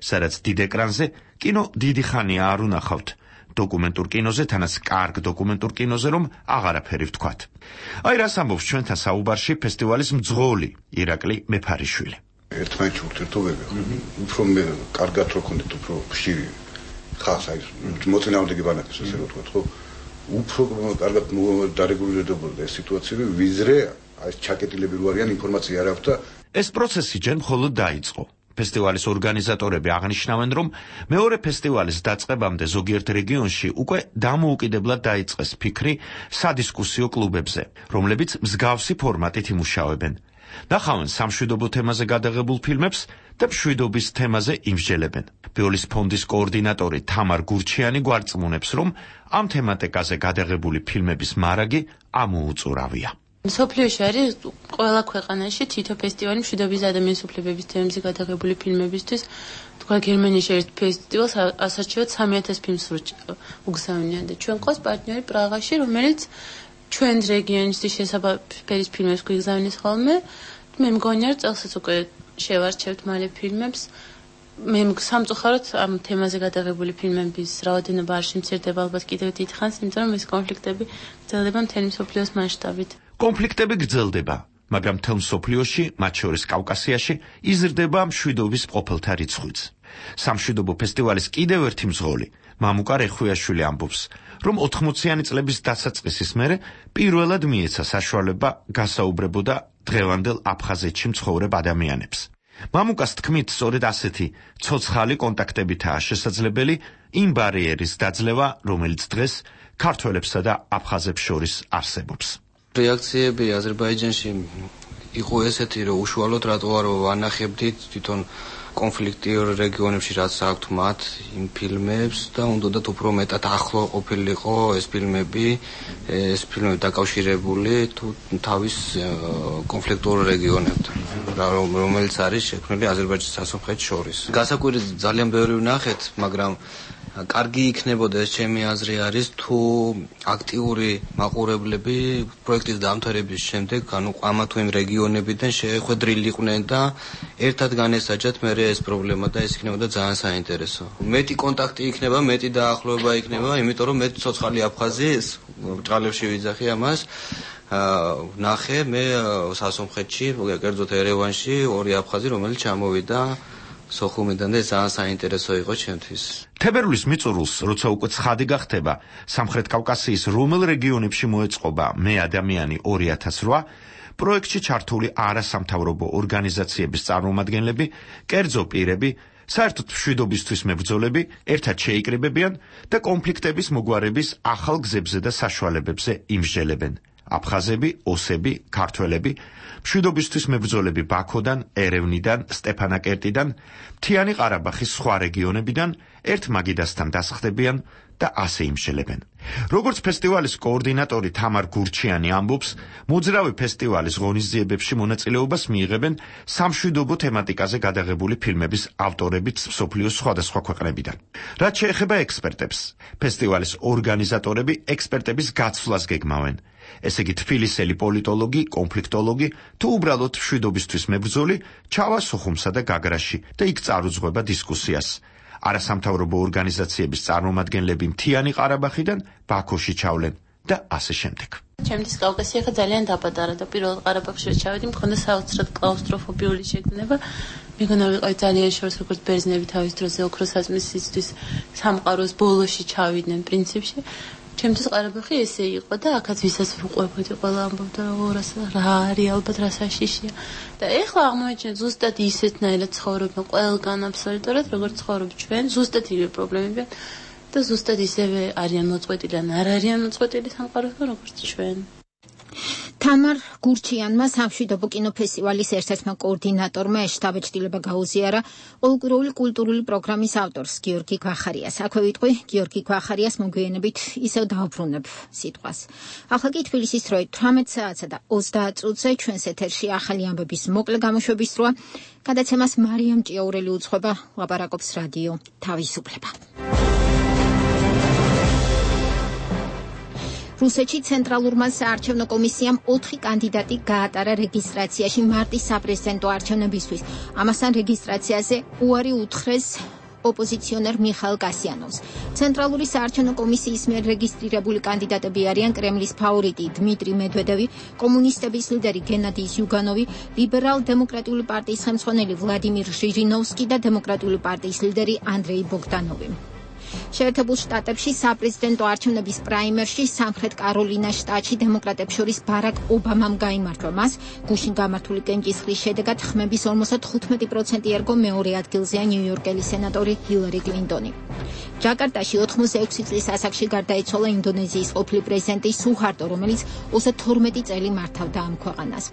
სადაც დიდ ეკრანზე კინო დიდი ხანია არ უნახავთ. დოკუმენტურ კინოზე, თანაც კარგ დოკუმენტურ კინოზე, რომ აღარაფერი ვთქვათ. აი რას ამბობს ჩვენთან საუბარში ფესტივალის მძღოლი ირაკლი მეფარიშვილი. ერთმანეთში ურთიერთობები უფრო კარგად რო ქონდეთ, უფრო ხშირი ხალხს აი მოწინააღმდეგე ბანაკებს ასე რომ ვთქვათ, ხო? უფრო კარგად დარეგულირდებოდა ეს სიტუაციები, ვიზრე აი ჩაკეტილები რო არიან, ინფორმაცია არ აქვს და ეს პროცესი ჯერ მხოლოდ დაიწყო. ფესტივალის ორგანიზატორები აღნიშნავენ, რომ მეორე ფესტივალის დაწყებამდე ზოგიერთ რეგიონში უკვე დამოუკიდებლად დაიწყეს ფიქრი სადისკუსიო კლუბებზე, რომლებიც მსგავსი ფორმატით იმუშავებენ. ნახავენ სამშვიდობო თემაზე გადაღებულ ფილმებს და მშვიდობის თემაზე იმსჯელებენ. ბიოლის ფონდის კოორდინატორი თამარ გურჩიანი გვარწმუნებს, რომ ამ თემატიკაზე გადაღებული ფილმების მარაგი ამოუწურავია. მსოფლიოში არის ყველა ქვეყანაში თითო ფესტივალი მშვიდობის და ადამიანის უფლებების თემებზე გადაღებული ფილმებისთვის. თქვა გერმანიაში ერთ ფესტივალს ასარჩევად 3000 ფილმს უგზავნიან და ჩვენ ყავს პარტნიორი პრაღაში, რომელიც ჩვენ რეგიონის შესაბამის ფილმებს გვიგზავნის ხოლმე. მე მგონია რომ წელსაც უკვე შევარჩევთ მალე ფილმებს. მე სამწუხაროდ ამ თემაზე გადაღებული ფილმების რაოდენობა არ შემცირდება ალბათ კიდევ დიდხანს, იმიტომ რომ ეს კონფლიქტები გრძელდება მთელი მსოფლიოს მასშტაბით. კონფლიქტები გრძელდება, მაგრამ მთელ მსოფლიოში, მათ შორის კავკასიაში, იზრდება მშვიდობის ყოფილთა რიცხვიც. სამშვიდობო ფესტივალის კიდევ ერთი მძღოლი, მამუკა რეხვიაშვილი ამბობს, რომ 80-იანი წლების დასაწყისის მერე პირველად მიეცა საშუალება გასაუბრებოდა დღევანდელ აფხაზეთში მცხოვრებ ადამიანებს. მამუკას თქმით, სწორედ ასეთი ცოცხალი კონტაქტებითაა შესაძლებელი იმ ბარიერის დაძლევა, რომელიც დღეს ქართველებსა და აფხაზებს შორის არსებობს. რეაქციები აზერბაიჯანში იყო ესეთი, რომ უშუალოდ რატო არ ვანახებდით თვითონ კონფლიქტიურ რეგიონებში რაც აქვთ მათ იმ ფილმებს და უნდათ უფრო მეტად ახლო ყოფილიყო ეს ფილმები დაკავშირებული თუ თავის კონფლიქტურ რეგიონებთან, რომელიც არის შექმნილი აზერბაიჯანის სასამხეთს შორის. გასაკვირად ძალიან ბევრი ვნახეთ, მაგრამ კარგი იქნებოდა ეს ჩემი აზრი არის თუ აქტიური მაყურებლები პროექტის დამთავრების შემდეგ ამა თუ იმ რეგიონებიდან შეხვედრილიყვნენ და ერთად განესაჯათ მე ეს პრობლემა და ეს იქნებოდა ძალიან საინტერესო. მეტი კონტაქტი იქნება, მეტი დაახლოება იქნება, იმიტომ რომ მე ცოცხალი აფხაზი ბრჭყალებში ვიძახი ამას. ნახე მე სასამხეთში, კერძოდ ერევანში ორი აფხაზი, რომელიც ჩამოვიდა სოხუმიდან და ძალიან საინტერესო იყო ჩემთვის. თებერვლის მიწურულს, როცა უკვე ცხადი გახდება, სამხრეთ კავკასიის რომელ რეგიონებში მოეწყობა მე ადამიანი 2008, პროექტში ჩართული არასამთავრობო ორგანიზაციების წარმომადგენლები, კერძო პირები, საერთოდ მშვიდობისთვის მებრძოლები ერთად შეიკრიბებიან და კონფლიქტების მოგვარების ახალ გზებზე და საშუალებებზე იმსჯელებენ. აფხაზები, ოსები, ქართველები, მშვიდობისთვის მებრძოლები ბაქოდან, ერევნიდან, სტეფანაკერტიდან, მთიანი ყარაბაღის სხვა რეგიონებიდან ერთ მაგიდასთან დასხდებიან და ასე იმსჯელებენ. როგორც ფესტივალის კოორდინატორი თამარ გურჩიანი ამბობს, მოძრავი ფესტივალის ღონისძიებებში მონაწილეობას მიიღებენ სამშვიდობო თემატიკაზე გადაღებული ფილმების ავტორებიც მსოფლიოს სხვადასხვა ქვეყნებიდან. რაც შეეხება ექსპერტებს, ფესტივალის ორგანიზატორები ექსპერტების გაცვლას გეგმავენ. ესე იგი თბილისელი პოლიტოლოგი, კონფლიქტოლოგი თუ უბრალოდ მშვიდობისთვის მებრძოლი ჩავა სოხუმსა და გაგრაში და იქ წარუძღვება დისკუსიას. არასამთავრობო ორგანიზაციების წარმომადგენლები მთიანი ყარაბაღიდან ბაქოში ჩავლენ და ასე შემდეგ. ჩემთვის კავკასია ხა ძალიან დაბადარა და პირველ ყარაბაღში რომ ჩავედი, მქონდა საოცრად კლაუსტროფობიული შეგრძნება. მეგონა ვიყავი ძალიან შორს, როგორც ბერძნები თავის დროზე ოქროსაწმის სისთვის სამყაროს ბოლოში ჩავიდნენ პრინციპში. ჩემთვის ყარაბაღი ესე იყო და აქაც ვისაც ვუყვებოდი, ყველა ამბობდა რა არის ალბათ რა საშიშია. და ეხლა აღმოაჩინეთ ზუსტად ისეთნაირად ცხოვრობენ ყველგან აბსოლუტურად, როგორც ცხოვრობთ ჩვენ, ზუსტად იგივე პრობლემებია და ზუსტად ისევე არიან მოწყვეტილი ან არ არიან მოწყვეტილი სამყაროსგან, როგორც ჩვენ. თამარ გურჩიანმა სამშვიდობო კინოფესტივალის ერთ-ერთმა კოორდინატორმა შტაბ-ჭრილება გაუზიარა ყოველკვირეული კულტურული პროგრამის ავტორს გიორგი გვახარიას. აქვე ვიტყვი გიორგი გვახარიას მოგვიანებით ისევ დავბრუნებ სიტყვას. ახლა კი თბილისის დროით 18 საათსა და 30 წუთზე ჩვენს ეთერში ახალი ამბების მოკლე გამოშვების დროა. გადაცემას მარიამ ჭიაურელი უძღვება, ლაპარაკობს რადიო თავისუფლება. რუსეთში ცენტრალურმა საარჩევნო კომისიამ 4 კანდიდატი გაატარა რეგისტრაციაში მარტის საპრეზიდენტო არჩევნებისთვის. ამასთან რეგისტრაციაზე უარი უთხრეს ოპოზიციონერ მიხაილ კასიანოვს. ცენტრალური საარჩევნო კომისიის მიერ რეგისტრირებული კანდიდატები არიან კრემლის ფავორიტი დმიტრი მედვედევი, კომუნისტების ლიდერი გენადი ზიუგანოვი, ლიბერალ-დემოკრატიული პარტიის ხელმძღვანელი ვლადიმირ ჟირინოვსკი და დემოკრატიული პარტიის ლიდერი ანდრეი ბოგდანოვი. შეერთებულ შტატებში საპრეზიდენტო არჩევნების პრაიმერში სამხრეთ კაროლინას შტატში დემოკრატებს შორის ბარაკ ობამამ გაიმარჯვა. მას გუშინ გამართული კენჭისყრის შედეგად ხმების 55% ერგო მეორე ადგილზეა ნიუ-იორკელი სენატორი ჰილარი კლინტონი. ჯაკარტაში 86 წლის ასაკში გარდაიცვალა ინდონეზიის ყოფილი პრეზიდენტი სუჰარტო, რომელიც 32 წელი მართავდა ამ ქვეყანას.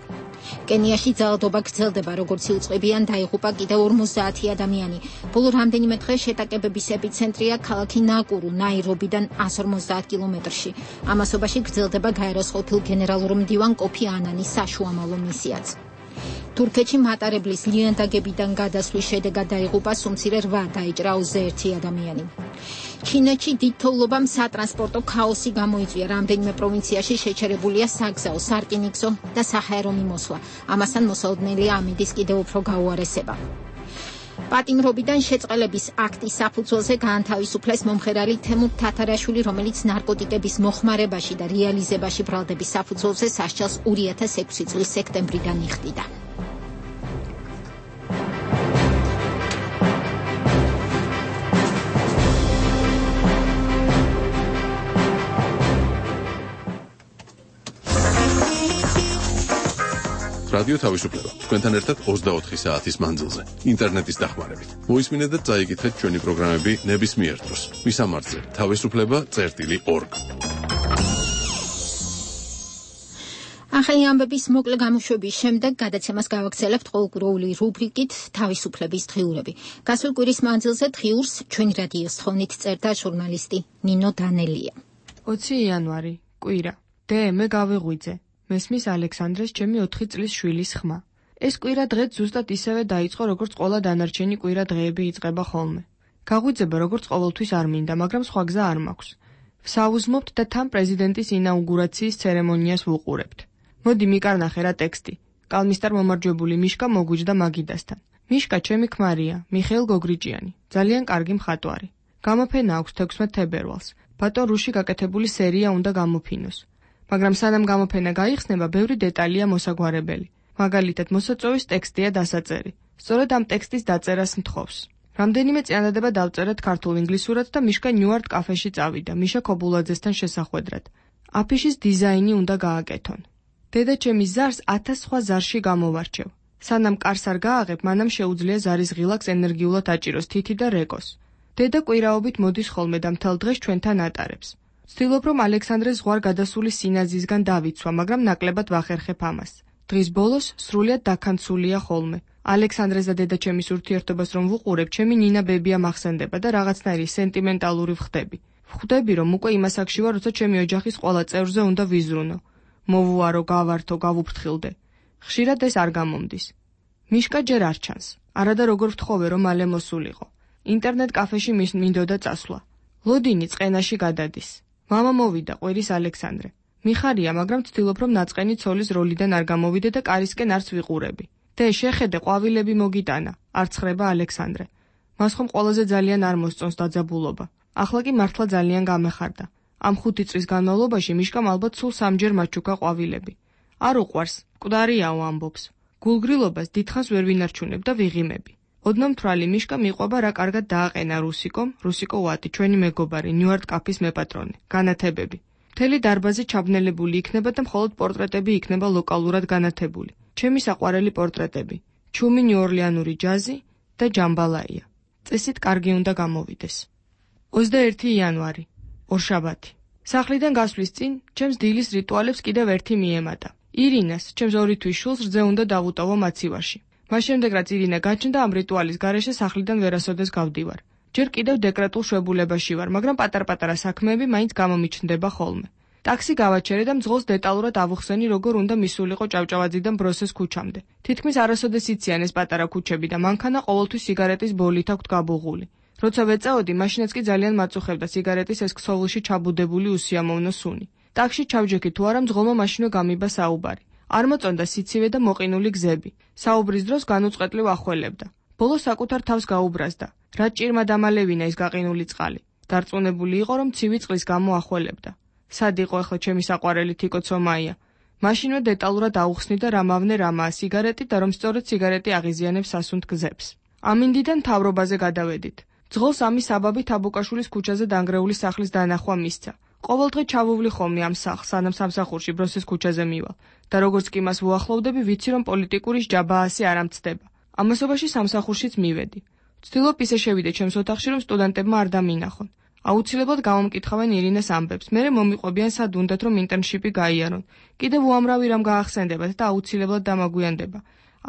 კენიაში ძალადობა გრძელდება, როგორც იუწყებიან დაიღუპა კიდევ 50 ადამიანი. ბოლო რამდენიმე დღე შეტაკებების ეპიცენტრია ქალაქი ნაკურუ, ნაირობიდან 150 კილომეტრში. ამასობაში გრძელდება გაეროს ყოფილ გენერალურ მდივან კოფი ანანის საშუამავლო მისიაც. თურქეთში მატარებლის ლიანდაგებიდან გადასვლის შედეგად დაიღუპა სუმცირე 8, დაიჭრა 21 ადამიანი. ჩინეთში დიდ თოვლობამ სატრანსპორტო ქაოსი გამოიწვია. რამდენიმე პროვინციაში შეჩერებულია საგზაო, სარკინიგზო და საჰაერო მიმოსვლა. ამასთან მოსალოდნელია ამინდის კიდევ უფრო გაუარესება. პატიმრობიდან შეწყალების აქტის საფუძველზე გაანთავისუფლეს მომღერალი თემურ თათარაშვილი, რომელიც ნარკოტიკების მოხმარებაში და რეალიზებაში ბრალდების საფუძველზე სასჯელს 2006 წლის სექტემბრიდან იხდიდა. რადიო თავისუფლება. თქვენთან ერთად 24 საათის მანძილზე. ინტერნეტის დახმარებით. მოისმინეთ და წაიკითხეთ ჩვენი პროგრამები ნებისმიერ დროს. მისამართზე თავისუფლება.org. ახალი ამბების მოკლე გამოშვების შემდეგ გადაცემას გავაგრძელებთ ყოველკვირეული რუბრიკით თავისუფლების დღიურები. გასულ კვირის მანძილზე დღიურს ჩვენი რადიოს თხოვნით წერდა ჟურნალისტი ნინო დანელია. 20 იანვარი, კვირა. მე გავიღვიძე. მესმის ალექსანდრეს ჩემი 4 წლის შვილის ხმა. ეს კვირა დღეც ზუსტად ისევე დაიწყო, როგორც ყველა დანარჩენი კვირა დღეები იწყება ხოლმე. გაღვიძება როგორც ყოველთვის არ მინდა, მაგრამ სხვა გზა არ მაქვს. ვსაუზმობთ და თან პრეზიდენტის ინაუგურაციის ცერემონიას ვუყურებთ. მოდი მიკარნახე რა ტექსტი. კალმისტარ მომარჯვებული მიშკა მოგვიჯდა მაგიდასთან. მიშკა ჩემი ქმარია, მიხეილ გოგრიჭიანი, ძალიან კარგი მხატვარი. გამოფენა აქვს 16 თებერვალს. ბატონ რუში გაკეთებული სერია უნდა გამოფინოს. მაგრამ სანამ გამოფენა გაიხსნება, ბევრი დეტალია მოსაგვარებელი. მაგალითად, მოსაწვევის ტექსტია დასაწერი. სწორედ ამ ტექსტის დაწერას მთხოვს. რამდენიმე წინადადება დავწერეთ ქართულ-ინგლისურად და მიშკა ნიუარტ კაფეში წავიდა, მიშა ქობულაძესთან შესახვედრად. აფიშის დიზაინი უნდა გააკეთონ. დედაჩემის ზარს 1000 სხვა ზარში გამოვარჩევ. სანამ კარს არ გააღებ, მანამ შეუძლია ზარის ღილაკს ენერგიულად აჭიროს თითი და რეკოს. დედა კვირაობით მოდის ხოლმე და მთელ დღეს ჩვენთან ატარებს. ვცდილობ, რომ ალექსანდრეს ზღვარ გადასული სინაზისგან დავიცვა, მაგრამ ნაკლებად ვახერხებ ამას. დღის ბოლოს სრულიად დაქანცულია ხოლმე. ალექსანდრეს და დედაჩემის ურთიერთობას რომ ვუყურებ, ჩემი ნინა ბებია მახსენდება და რაღაცნაირი სენტიმენტალური ვხდები. ვხვდები, რომ უკვე იმას აქში ვარ, როცა ჩემი ოჯახის ყველა წევრზე უნდა ვიზრუნო. მოვუარო, გავართო, გავუფრთხილდე. ხშირად ეს არ გამომდის. მიშკა ჯერ არ ჩანს. არადა როგორ ვთხოვე, რომ მალე მოსულიყო. ინტერნეტ კაფეში მინდოდა წასვლა. ლოდინი წყენაში გადადის. მამა მოვიდა, ყვირის ალექსანდრე. მიხარია, მაგრამ ვცდილობ, რომ ნაწყენი ცოლის როლიდან არ გამოვიდე და კარისკენ არც ვიყურები. შეხედე, ყვავილები მოგიტანა, არ ცხრება ალექსანდრე. მას ხომ ყველაზე ძალიან არ მოსწონს დაძაბულობა. ახლა კი მართლა ძალიან გამეხარდა. ამ 5 წლის განმავლობაში მიშკამ ალბათ სულ 3-ჯერ მაჩუქა ყვავილები. არ უყვარს, მკვდარიაო ამბობს. გულგრილობას დიდხანს ვერ ვინარჩუნებ და ვიღიმები. ოდნომთვრალი მიშკა მიყვება რა კარგად დააყენა რუსიკო ვატი, ჩვენი მეგობარი, ნიუარტ კაფის მეპატრონე, განათებები. მთელი დარბაზი ჩაბნელებული იქნება და მხოლოდ პორტრეტები იქნება ლოკალურად განათებული. ჩემი საყვარელი პორტრეტები, ჩუმი ნიუ-ორლეანური ჯაზი და ჯამბალაია. წესით კარგი უნდა გამოვიდეს. 21 იანვარი, ორშაბათი. სახლიდან გასვლის წინ ჩემს დილის რიტუალებს კიდევ ერთი მიემატა. ირინას, ჩემს 2 თვის შულს რძე უნდა დავუტოვო მაცივარში. მას შემდეგ რაც ირინა გაჩნდა ამ რიტუალის გარეშე სახლიდან ვერასოდეს გავდივარ. ჯერ კიდევ დეკრეტულ შვებულებაში ვარ, მაგრამ პატარ-პატარა საქმეები მაინც გამომიჩნდება ხოლმე. ტაქსი გავაჩერე და მძღოლს დეტალურად ავუხსენი, როგორ უნდა მისულიყო ჭავჭავაძიდან ბროსეს ქუჩამდე. თითქმის არასოდეს იციან ეს პატარა ქუჩები და მანქანა ყოველთვის სიგარეტის ბოლით აქვთ გაბუღული. როცა ვეწაოდი, მაშინაც კი ძალიან მაწუხებდა სიგარეტის ეს ქსოვილში ჩაბუდებული უსიამოვნო სუნი. ტაქსში ჩავჯექი თუ არა მძღოლმა მაშინვე გამიბა საუბარი. არ მოწონდა სიცივე და მოყინული გზები. საუბრის დროს განუწყვეტლივ ახველებდა. ბოლოს საკუთარ თავს გაუბრაზდა. რა ჭირმა დამალევინა ეს გაყინული წყალი. დარწმუნებული იყო, რომ ცივი წყლის გამო ახველებდა. სად იყო ახლა ჩემი საყვარელი თიკო ცომაია? მაშინვე დეტალურად აუხსნი და რამავნე რამაა სიგარეტი და რომ სწორედ სიგარეტი აღიზიანებს სასუნთ გზებს. ამინდიდან მთავრობაზე გადავედით. ძღოლს ამის საბაბით აბუკაშვილის ქუჩაზე დანგრეული სახლის დანახვა მისცა. ყოველდღე ჩავუვლი ხოლმე ამ სახლს, სანამ სამსახურში ბროსის ქუჩაზე მივალ და როგორც კი მას ვუახლოვდები, ვიცი რომ პოლიტიკური ჯაბაასი არ ამცდება. ამასობაში სამსახურშიც მივედი. ვცდილობ ისე შევიდე ჩემს ოთახში, რომ სტუდენტებმა არ დამინახონ. აუცილებლად გამომკითხავენ ირინას ამბებს. მერე მომიყვებიან სად უნდათ რომ ინტერნშიპი გაიარონ. კიდევ უამრავი რამ გაახსენდებათ და აუცილებლად დამაგვიანდება.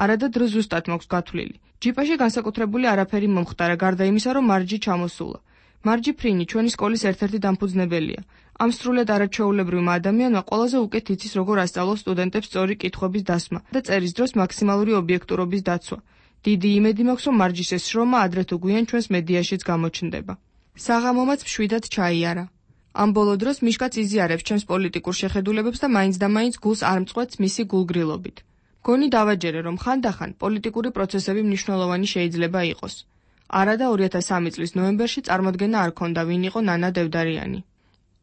არადა დრო ზუსტად მაქვს გათვლილი. ჯიპაში განსაკუთრებული არაფერი მომხდარა, გარდა იმისა, რომ მარჯი ჩამოსულა. მარჯი ფრინი ჩვენი სკოლის ერთ-ერთი დამფუძნებელია. ამ სრულად არაჩვეულებრივმა ადამიანმა ყველაზე უკეთ იცის როგორ ასწავლოს სტუდენტებს სწორი კითხვების დასმა და წერის დროს მაქსიმალური ობიექტურობის დაცვა. დიდი იმედი მაქვს, რომ მარჯის ეს შრომა ადრე თუ გვიან ჩვენს მედიაშიც გამოჩნდება. საღამომაც მშვიდად ჩაიარა. ამ ბოლო დროს მიშკაც იზიარებს ჩემს პოლიტიკურ შეხედულებებს და მაინც და მაინც გულს არ მწყვეტს მისი გულგრილობით. გონი დავაჯერე, რომ ხანდახან პოლიტიკური პროცესები მნიშვნელოვანი შეიძლება იყოს. არადა 2003 წლის ნოემბერში წარმოდგენა არ ქონდა ვინ იყო ნანა დევდარიანი.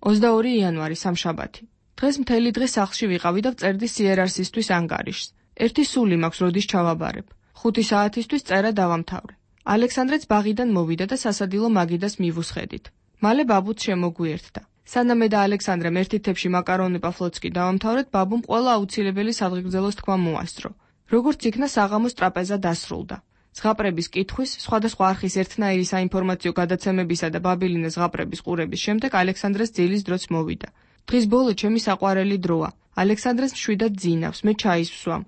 22 იანვარი სამშაბათი. დღეს მთელი დღე სახლში ვიყავი და ვწერდი CRRC-ისთვის ანგარიშს. ერთი სული მაქვს როდის ჩავაბარებ. 5 საათისთვის წერა დავამთავრე. ალექსანდრეც ბაღიდან მოვიდა და სასადილო მაგიდას მივუსხედით. მალე ბაბუც შემოგვიერთდა. სანამ მე და ალექსანდრემ ერთი თებში მაკარონი პაფლოცკი დავამთავრეთ, ბაბუმ ყველა აუცილებელი სადღეგრძელოს თქვა მოასწრო. როგორც იქნა საღამოს ტრაპეზა დასრულდა. ზღაპრების კითხვის, სხვადასხვა არხის ერთნაირი საინფორმაციო გადაცემებისა და ბაბილინეს ზღაპრების ყურების შემდეგ ალექსანდრეს ძილის დროც მოვიდა. დღის ბოლო ჩემი საყვარელი დროა. ალექსანდრეს მშვიდად ძინავს, მე ჩაის ვსვამ.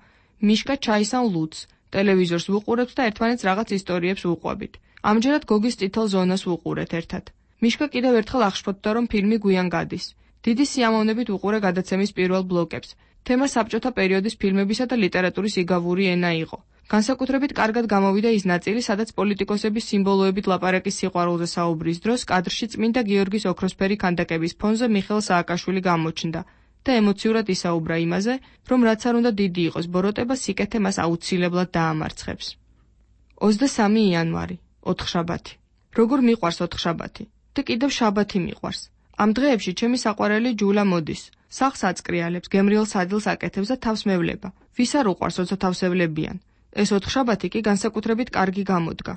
მიშკა ჩაის ან ლუდს. ტელევიზორს ვუყურებთ და ერთმანეთს რაღაც ისტორიებს ვუყვებით. ამჯერად გოგის წითელ ზონას ვუყურეთ ერთად. მიშკა კიდევ ერთხელ აღშფოთდა, რომ ფილმი გვიან გადის. დიდი სიამოვნებით ვუყურე გადაცემის პირველ ბლოკებს. თემა საბჭოთა პერიოდის ფილმებისა და ლიტერატურის იგავური ენა იყო. განსაკუთრებით კარგად გამოვიდა ის ნაწილი, სადაც პოლიტიკოსების სიმბოლოებით ლაპარაკის სიყვარულზე საუბრის დროს კადრში წმინდა გიორგის ოქროსფერი ქანდაკების ფონზე მიხეილ სააკაშვილი გამოჩნდა და ემოციურად ისაუბრა იმაზე, რომ რაც არ უნდა დიდი იყოს ბოროტება, სიკეთე მას აუცილებლად დაამარცხებს. 23 იანვარი, ოთხშაბათი. როგორ მიყვარს ოთხშაბათი? და კიდევ შაბათი მიყვარს. ამ დღეებში ჩემი საყვარელი ჯულა მოდის. სახლს აწკრიალებს, გემრიელ სადილს აკეთებს და თავს მევლება. ვის არ უყვარს, როცა თავს ევლებიან? ეს ოთხშაბათი კი განსაკუთრებით კარგი გამოდგა.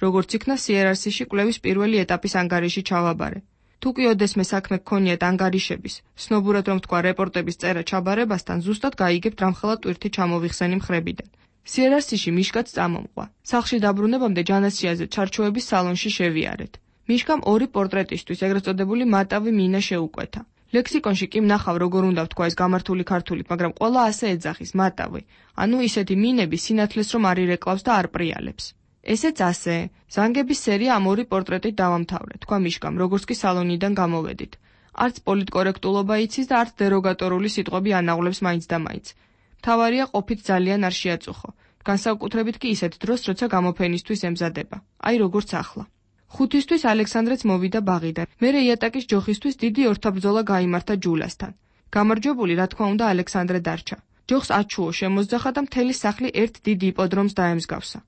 როგორც იქნა CRRC-ში კვლევის პირველი ეტაპის ანგარიში ჩავაბარე. თუ კი ოდესმე საქმე გქონიათ ანგარიშების, სნობურად რომ თქვა რეპორტების წერა ჩაბარებასთან, ზუსტად გაიგებთ რამხელა ტვირთი ჩამოვიხსენი მხრებიდან. CRRC-ში მიშკაც წამომყვა. სახლში დაბრუნებამდე ჯანასიაზე ჩარჩოების სალონში შევიარეთ. მიშკამ 2 პორტრეტისთვის, ეგრეთ წოდებული მატავი მინა შეუკვეთა. ლექსიკონში კი ვნახავ როგორ უნდა ვთქვა ეს გამართული ქართულით, მაგრამ ყველა ასე ეძახის მატავი. ანუ ისეთი მინები სინათლეს რომ არ ირეკლავს და არ პრიალებს. ესეც ასე. ზანგების სერია ამ 2 პორტრეტით დავამთავრე, თქვა მიშკამ, როგორც კი სალონიდან გამოვედით. არც პოლიტკორექტულობა იცის და არც დეროგატორული სიტყვები ანაღლებს მაინც და მაინც. მთავარია ყოფით ძალიან არ შეაწუხო. განსაკუთრებით კი ისეთ დროს, როცა გამოფენისთვის ემზადება. აი როგორც ახლა. 5-ისთვის ალექსანდრეც მოვიდა ბაღიდან. მერე იატაკის ჯოხისთვის დიდი ორთაბრძოლა გაიმართა ჯულასთან. გამარჯვებული, რა თქმა უნდა, ალექსანდრე დარჩა. ჯოხს აჩუო შემოძახა და მთელი სახლი ერთ დიდ იპოდრომს დაემსგავსა.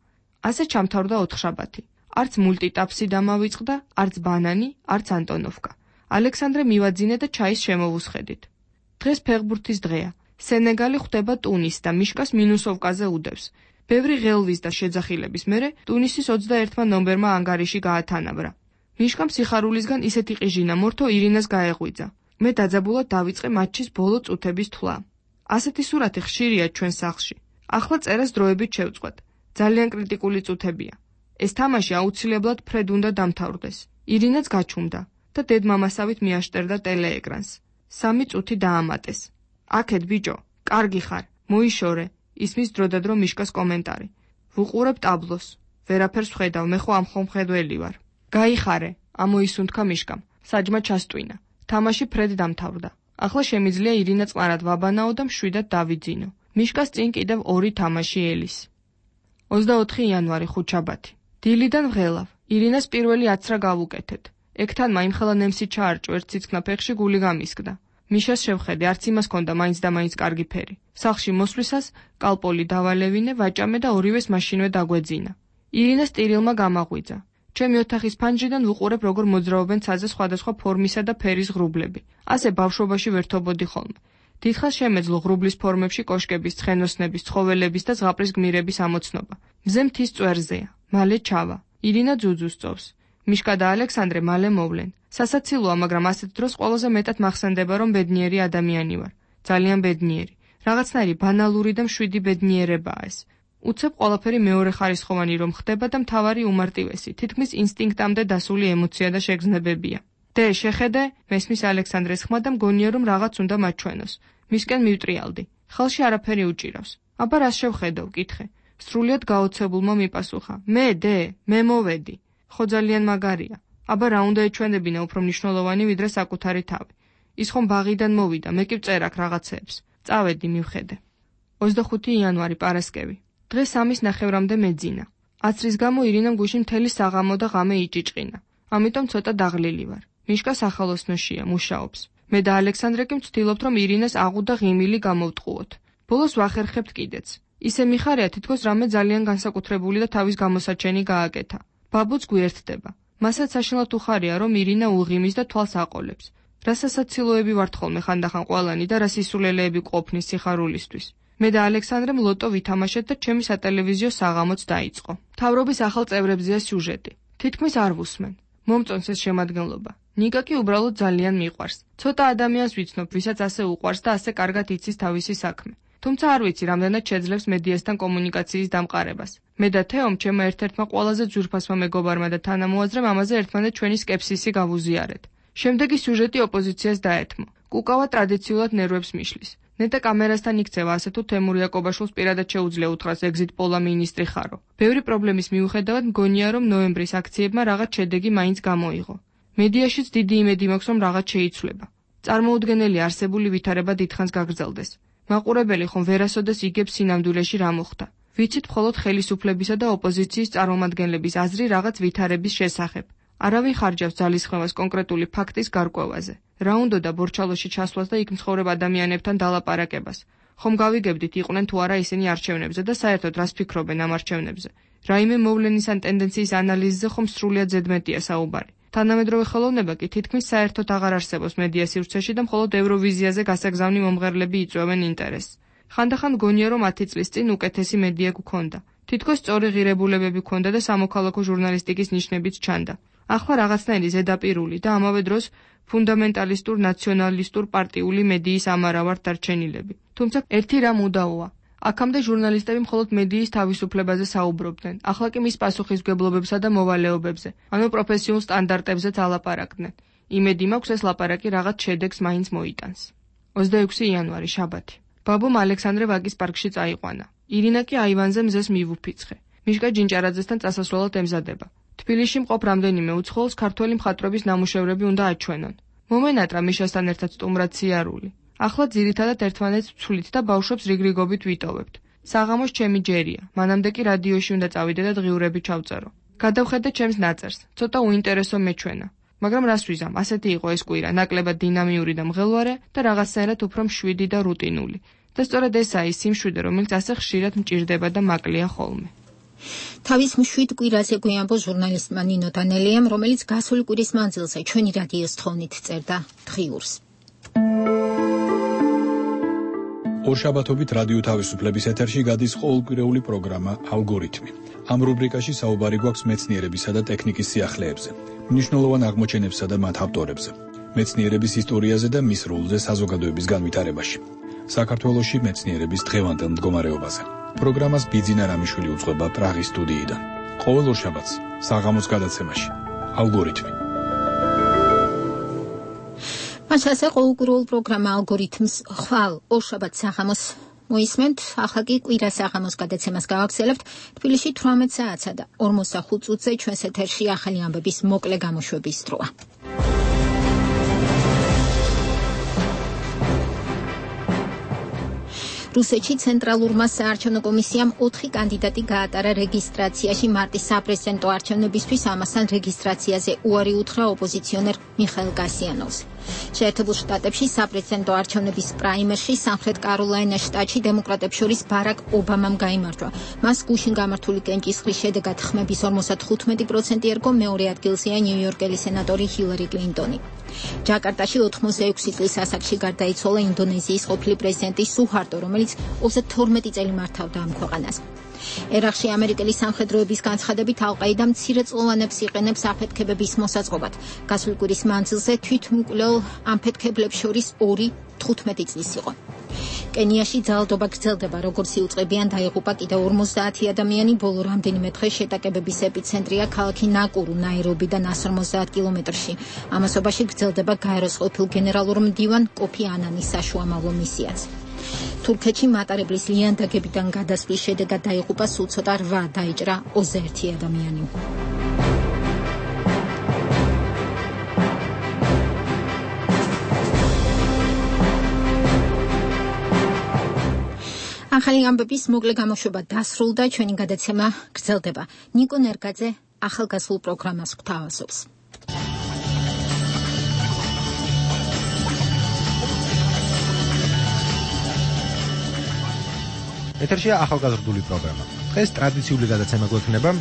ასე ჩამთავრდა ოთხშაბათი. არც მულტიტაპსი დამავიწყდა, არც ბანანი, არც ანტონოვკა. ალექსანდრე მივაძინე და ჩაის შემოვუსხედით. დღეს ფეხბურთის დღეა. სენეგალი ხვდება ტუნისს და მიშკას მინუსოვკაზე უდევს. ბევრი ღელვის და შეძახილების მერე ტუნისის 21 ნომბერმა ანგარიში გაათანაბრა. მიშკამ სიხარულისგან ისეთი ყიჟინა მორთო ირინას გაეღვიძა. მე დაძაბულად დავიწყე მატჩის ბოლო წუთების თვლა. ასეთი სურათი ხშირია ჩვენ სახლში. ახლა წერას დროებით შევწყვეტ. ძალიან კრიტიკული წუთებია. ეს თამაში აუცილებლად ფრედ უნდა დამთავრდეს. ირინაც გაჩუმდა და დედმამასავით მიაშტერდა ტელეეკრანს. 3 წუთი დაამატეს. აქეთ ბიჭო, კარგი ხარ, მოიშორე, ისმის დროდადრო მიშკას კომენტარი. ვუყურებ ტაბლოს, ვერაფერს ვხედავ, მე ხო ამ ხომხედველი ვარ. გაიხარე, ამოისუნთქა მიშკამ, საჯმა ჩასტვინა. თამაში ფრედ დამთავრდა. ახლა შემიძლია ირინა წყნარად ვაბანაო და მშვიდად დავიძინო. მიშკას წინ კიდევ 2 თამაში ელის. 24 იანვარი ხუთშაბათი. დილიდან ვღელავ. ირინას პირველი აცრა გავუკეთეთ. ეგთან მაიმხელა ნემსი ჩაარჭო, ერთ ციცქნა ფეხში გული გამისკდა. მიშას შევხედე, არც იმას ჰქონდა მაინც და მაინც კარგი ფერი. სახლში მოსვლისას კალპოლი დავალევინე, ვაჭამე და ორივეს მაშინვე დაგვეძინა. ირინას ტირილმა გამაღვიძა. ჩემი ოთახის ფანჯრიდან ვუყურებ, როგორ მოძრაობენ ცაზე სხვადასხვა ფორმისა და ფერის ღრუბლები. ასე ბავშვობაში ვერთობოდი ხოლმე. დიდხანს შემეძლო ღრუბლის ფორმებში კოშკების, ცხენოსნების, ცხოველების და ზღაპრის გმირების ამოცნობა. მზე მთის წვერზეა, მალე ჩავა. ირინა ძუძუს წოვს. მიშკა და ალექსანდრე მალე მოვლენ. სასაცილოა, მაგრამ ასეთ დროს ყველაზე მეტად მახსენდება, რომ ბედნიერი ადამიანი ვარ. ძალიან ბედნიერი. რაღაცნაირი ბანალური და მშვიდი ბედნიერებაა ეს. უცებ ყველაფერი მეორე ხარისხოვანი რომ ხდება და მთავარი უმარტივესი, თითქმის ინსტინქტამდე დასული ემოცია და შეგრძნებებია. დე, შეხედე, მესმის ალექსანდრეს ხმა და მგონია რომ რაღაც უნდა მაჩვენოს. მისკენ მივტრიალდი. ხელში არაფერი უჭირავს. აბა რას შევხედო, ვკითხე. სრულიად გაოცებულმა მიპასუხა. მე, დე, მე მოვედი. ხო ძალიან მაგარია. აბა რა უნდა ეჩვენებინა უფრო მნიშვნელოვანი ვიდრე საკუთარი თავი. ის ხომ ბაღიდან მოვიდა, მე კი ვწერ აქ რაღაცეებს. წავედი მივხედე. 25 იანვარი პარასკევი. დღეს 3:30-მდე მეძინა. აცრის გამო ირინამ გუში მთელი საღამო და ღამე იჭიჭყინა. ამიტომ ცოტა დაღლილი ვარ. მიშკა სახალოსნოშია, მუშაობს. მე და ალექსანდრე კი ვცდილობთ, რომ ირინას აღუ და ღიმილი გამოვტყუოთ. ბოლოს ვახერხებთ კიდეც. ისე მიხარია, თითქოს რამე ძალიან განსაკუთრებული და თავის გამოსაჩენი გააკეთა. ბაბუც გვერდდება. მასაც საშინლად უხარია, რომ ირინა უღიმის და თვალს აყოლებს. რა სასაცილოები ვართ ხოლმე ხანდახან ყველანი და რა სისულელეები ყოფნის სიხარულისთვის. მე და ალექსანდრემ ლოტო ვითამაშეთ და ჩემი სატელევიზიო საღამოც დაიწყო. მთავრობის ახალ წევრებზეა სიუჟეტი. თითქმის არ ვუსმენ. მომწონს ეს შემადგენლობა. ნიკა კი უბრალოდ ძალიან მიყვარს. ცოტა ადამიანს ვიცნობ, ვისაც ასე უყვარს და ასე კარგად იცის თავისი საქმე. თუმცა არ ვიცი, რამდენად შეძლებს მედიასთან კომუნიკაციის დამყარებას. მე და თეომ, ჩემმა ერთ-ერთმა ყველაზე ძვირფასმა მეგობარმა და თანამოაზრემ ამაზე ერთმანეთ ჩვენი სკეპსისი გავუზიარეთ. შემდეგი სიუჟეტი ოპოზიციას დაეთმო. კუკავა ტრადიციულად ნერვებს მიშლის. ნეტა კამერასთან იქცევა, ასე თუ თემურ იაკობაშვილს პირადად შეუძლია უთხრას ეგზიტ პოლა მინისტრი ხარო. ბევრი პრობლემის მიუხედავად მგონია, რომ ნოემბრის აქციებმა რაღაც შედეგი მაინც გამოიღო. მედიაშიც დიდი იმედი მაქვს, რომ რაღაც შეიცვლება. წარმოუდგენელი არსებული ვითარება დიდხანს გაგრძელდეს. მაყურებელი ხომ ვერასოდეს იგებს სინამდვილეში რა მოხდა. ვიცით მხოლოდ ხელისუფლებისა და ოპოზიციის წარმომადგენლების აზრი რაღაც ვითარების შესახებ. არავინ ხარჯავს ძალისხმევას კონკრეტული ფაქტის გარკვევაზე. რა უნდოდა ბორჩალოში ჩასვლას და იქ მცხოვრებ ადამიანებთან დალაპარაკებას. ხომ გავიგებდით იყვნენ თუ არა ისინი არჩევნებზე და საერთოდ რას ფიქრობენ ამ არჩევნებზე. რაიმე მოვლენის ან ტენდენციის ანალიზზე ხომ სრულიად ზედმეტია საუბარი. თანამედროვე ხელოვნება კი თითქმის საერთოდ აღარ არსებობს მედია სივრცეში და მხოლოდ ევროვიზიაზე გასაგზავნი მომღერლები იწვევენ ინტერესს. ხანდახან გონია, რომ 10 წლის წინ უკეთესი მედია გქონდა. თითქოს სწორი ღირებულებები გქონდა და სამოქალაქო ჟურნალისტიკის ნიშნებიც ჩანდა. ახლა რაღაცნაირი ზედაპირული და ამავე დროს ფუნდამენტალისტურ ნაციონალისტურ პარტიული მედიის ამარა ვართ დარჩენილები. თუმცა ერთი რამ უდავოა. აქამდე ჟურნალისტები მხოლოდ მედიის თავისუფლებაზე საუბრობდნენ. ახლა კი მის პასუხისმგებლობებსა და მოვალეობებზე, ანუ პროფესიულ სტანდარტებზეც ალაპარაკდნენ. იმედი მაქვს ეს ლაპარაკი რაღაც შედეგს მაინც მოიტანს. 26 იანვარი შაბათი. ბაბუმ ალექსანდრე ვაკის პარკში წაიყვანა. ირინა კი აივანზე მზეს მივუფიცხე. მიშკა ჯინჭარაძესთან წასასვლელად ემზადება. თბილისში მყოფ რამდენიმე უცხოელს ქართველი მხატვრების ნამუშევრები უნდა აჩვენონ. მომენატრა მიშასთან ერთად სტუმრად სიარული. ახლა ძირითადად ერთმანეთს ვცვლით და ბავშვებს რიგრიგობით ვიტოვებთ. საღამოს ჩემი ჯერია, მანამდე კი რადიოში უნდა წავიდე და დღიურები ჩავწერო. გადავხედე ჩემს ნაწერს, ცოტა უინტერესო მეჩვენა. მაგრამ რას ვიზამ, ასეთი იყო ეს კვირა, ნაკლებად დინამიური და მღელვარე და რაღაცნაირად უფრო მშვიდი და რუტინული. და სწორედ ესაა ის სიმშვიდე, რომელიც ასე ხშირად მჭირდება და მაკლია ხოლმე. თავის მშვიდ კვირაზე გვიამბო ჟურნალისტმა ნინო დანელიამ, რომელიც გასული კვირის მანძილზე ჩვენი რადიოს თხოვნით წერდა დღიურს. ორშაბათობით რადიო თავისუფლების ეთერში გადის ყოველკვირეული პროგრამა ალგორითმი. ამ რუბრიკაში საუბარი გვაქვს მეცნიერებისა და ტექნიკის სიახლეებზე, მნიშვნელოვან აღმოჩენებსა და მათ ავტორებზე, მეცნიერების ისტორიაზე და მის როლზე საზოგადოების განვითარებაში, საქართველოში მეცნიერების დღევანდელ მდგომარეობაზე. პროგრამას ბიძინა რამიშვილი უძღვება პრაღის სტუდიიდან. ყოველ ორშაბათს საღამოს გადაცემაში ალგორითმი. მას ასე ყოველკვირეულ პროგრამა ალგორითმს ხვალ ორშაბათ საღამოს მოისმენთ, ახლა კი კვირა საღამოს გადაცემას გავაგზავნებთ თბილისში 18 საათსა და 45 წუთზე ჩვენს ეთერში ახალი ამბების მოკლე გამოშვების დროა. რუსეთში ცენტრალურმა საარჩევნო კომისიამ 4 კანდიდატი გაატარა რეგისტრაციაში მარტის საპრეზიდენტო არჩევნებისთვის, ამასთან რეგისტრაციაზე უარი უთხრა ოპოზიციონერ მიხაილ კასიანოვს. შეერთებულ შტატებში საპრეზიდენტო არჩევნების პრაიმერში სამხრეთ კაროლაინას შტატში დემოკრატებს შორის ბარაკ ობამამ გაიმარჯვა. მას გუშინ გამართული კენჭისყრის შედეგად ხმების 55% ერგო, მეორე ადგილზეა ნიუ-იორკელი სენატორი ჰილარი კლინტონი. ჯაკარტაში 86 წლის ასაკში გარდაიცვალა ინდონეზიის ყოფილი პრეზიდენტი სუჰარტო, რომელიც 32 წელი მართავდა ამ ქვეყანას. ერაყში ამერიკელი სამხედროების განცხადებით ალ-ყაიდა მცირეწლოვანებს იყენებს აფეთქებების მოსაწყობად. გასული კვირის მანძილზე თვითმკვლელ ამფეთქებლებს შორის 2 15 წლის იყო. კენიაში ძალადობა გრძელდება, როგორც იუწყებიან დაიღუპა კიდევ 50 ადამიანი, ბოლო რამდენიმე დღე შეტაკებების ეპიცენტრია ქალაქი ნაკურუ, ნაირობიდან 150 კილომეტრში. ამასობაში გრძელდება გაეროს ყოფილ გენერალურ მდივან კოფი ანანის საშუამავლო მისიაც. თურქეთში მატარებლის ლიანდაგებიდან გადასვლის შედეგად დაიღუპა სულ ცოტა 8, დაიჭრა 21 ადამიანი. ახალი ამბების მოკლე გამოშვება დასრულდა, ჩვენი გადაცემა გრძელდება. ნიკო ნერგაძე ახალგაზრდულ პროგრამას გვთავაზობს. ეთერშია ახალგაზრდული პროგრამა. დღეს ტრადიციული გადაცემა გვექნება.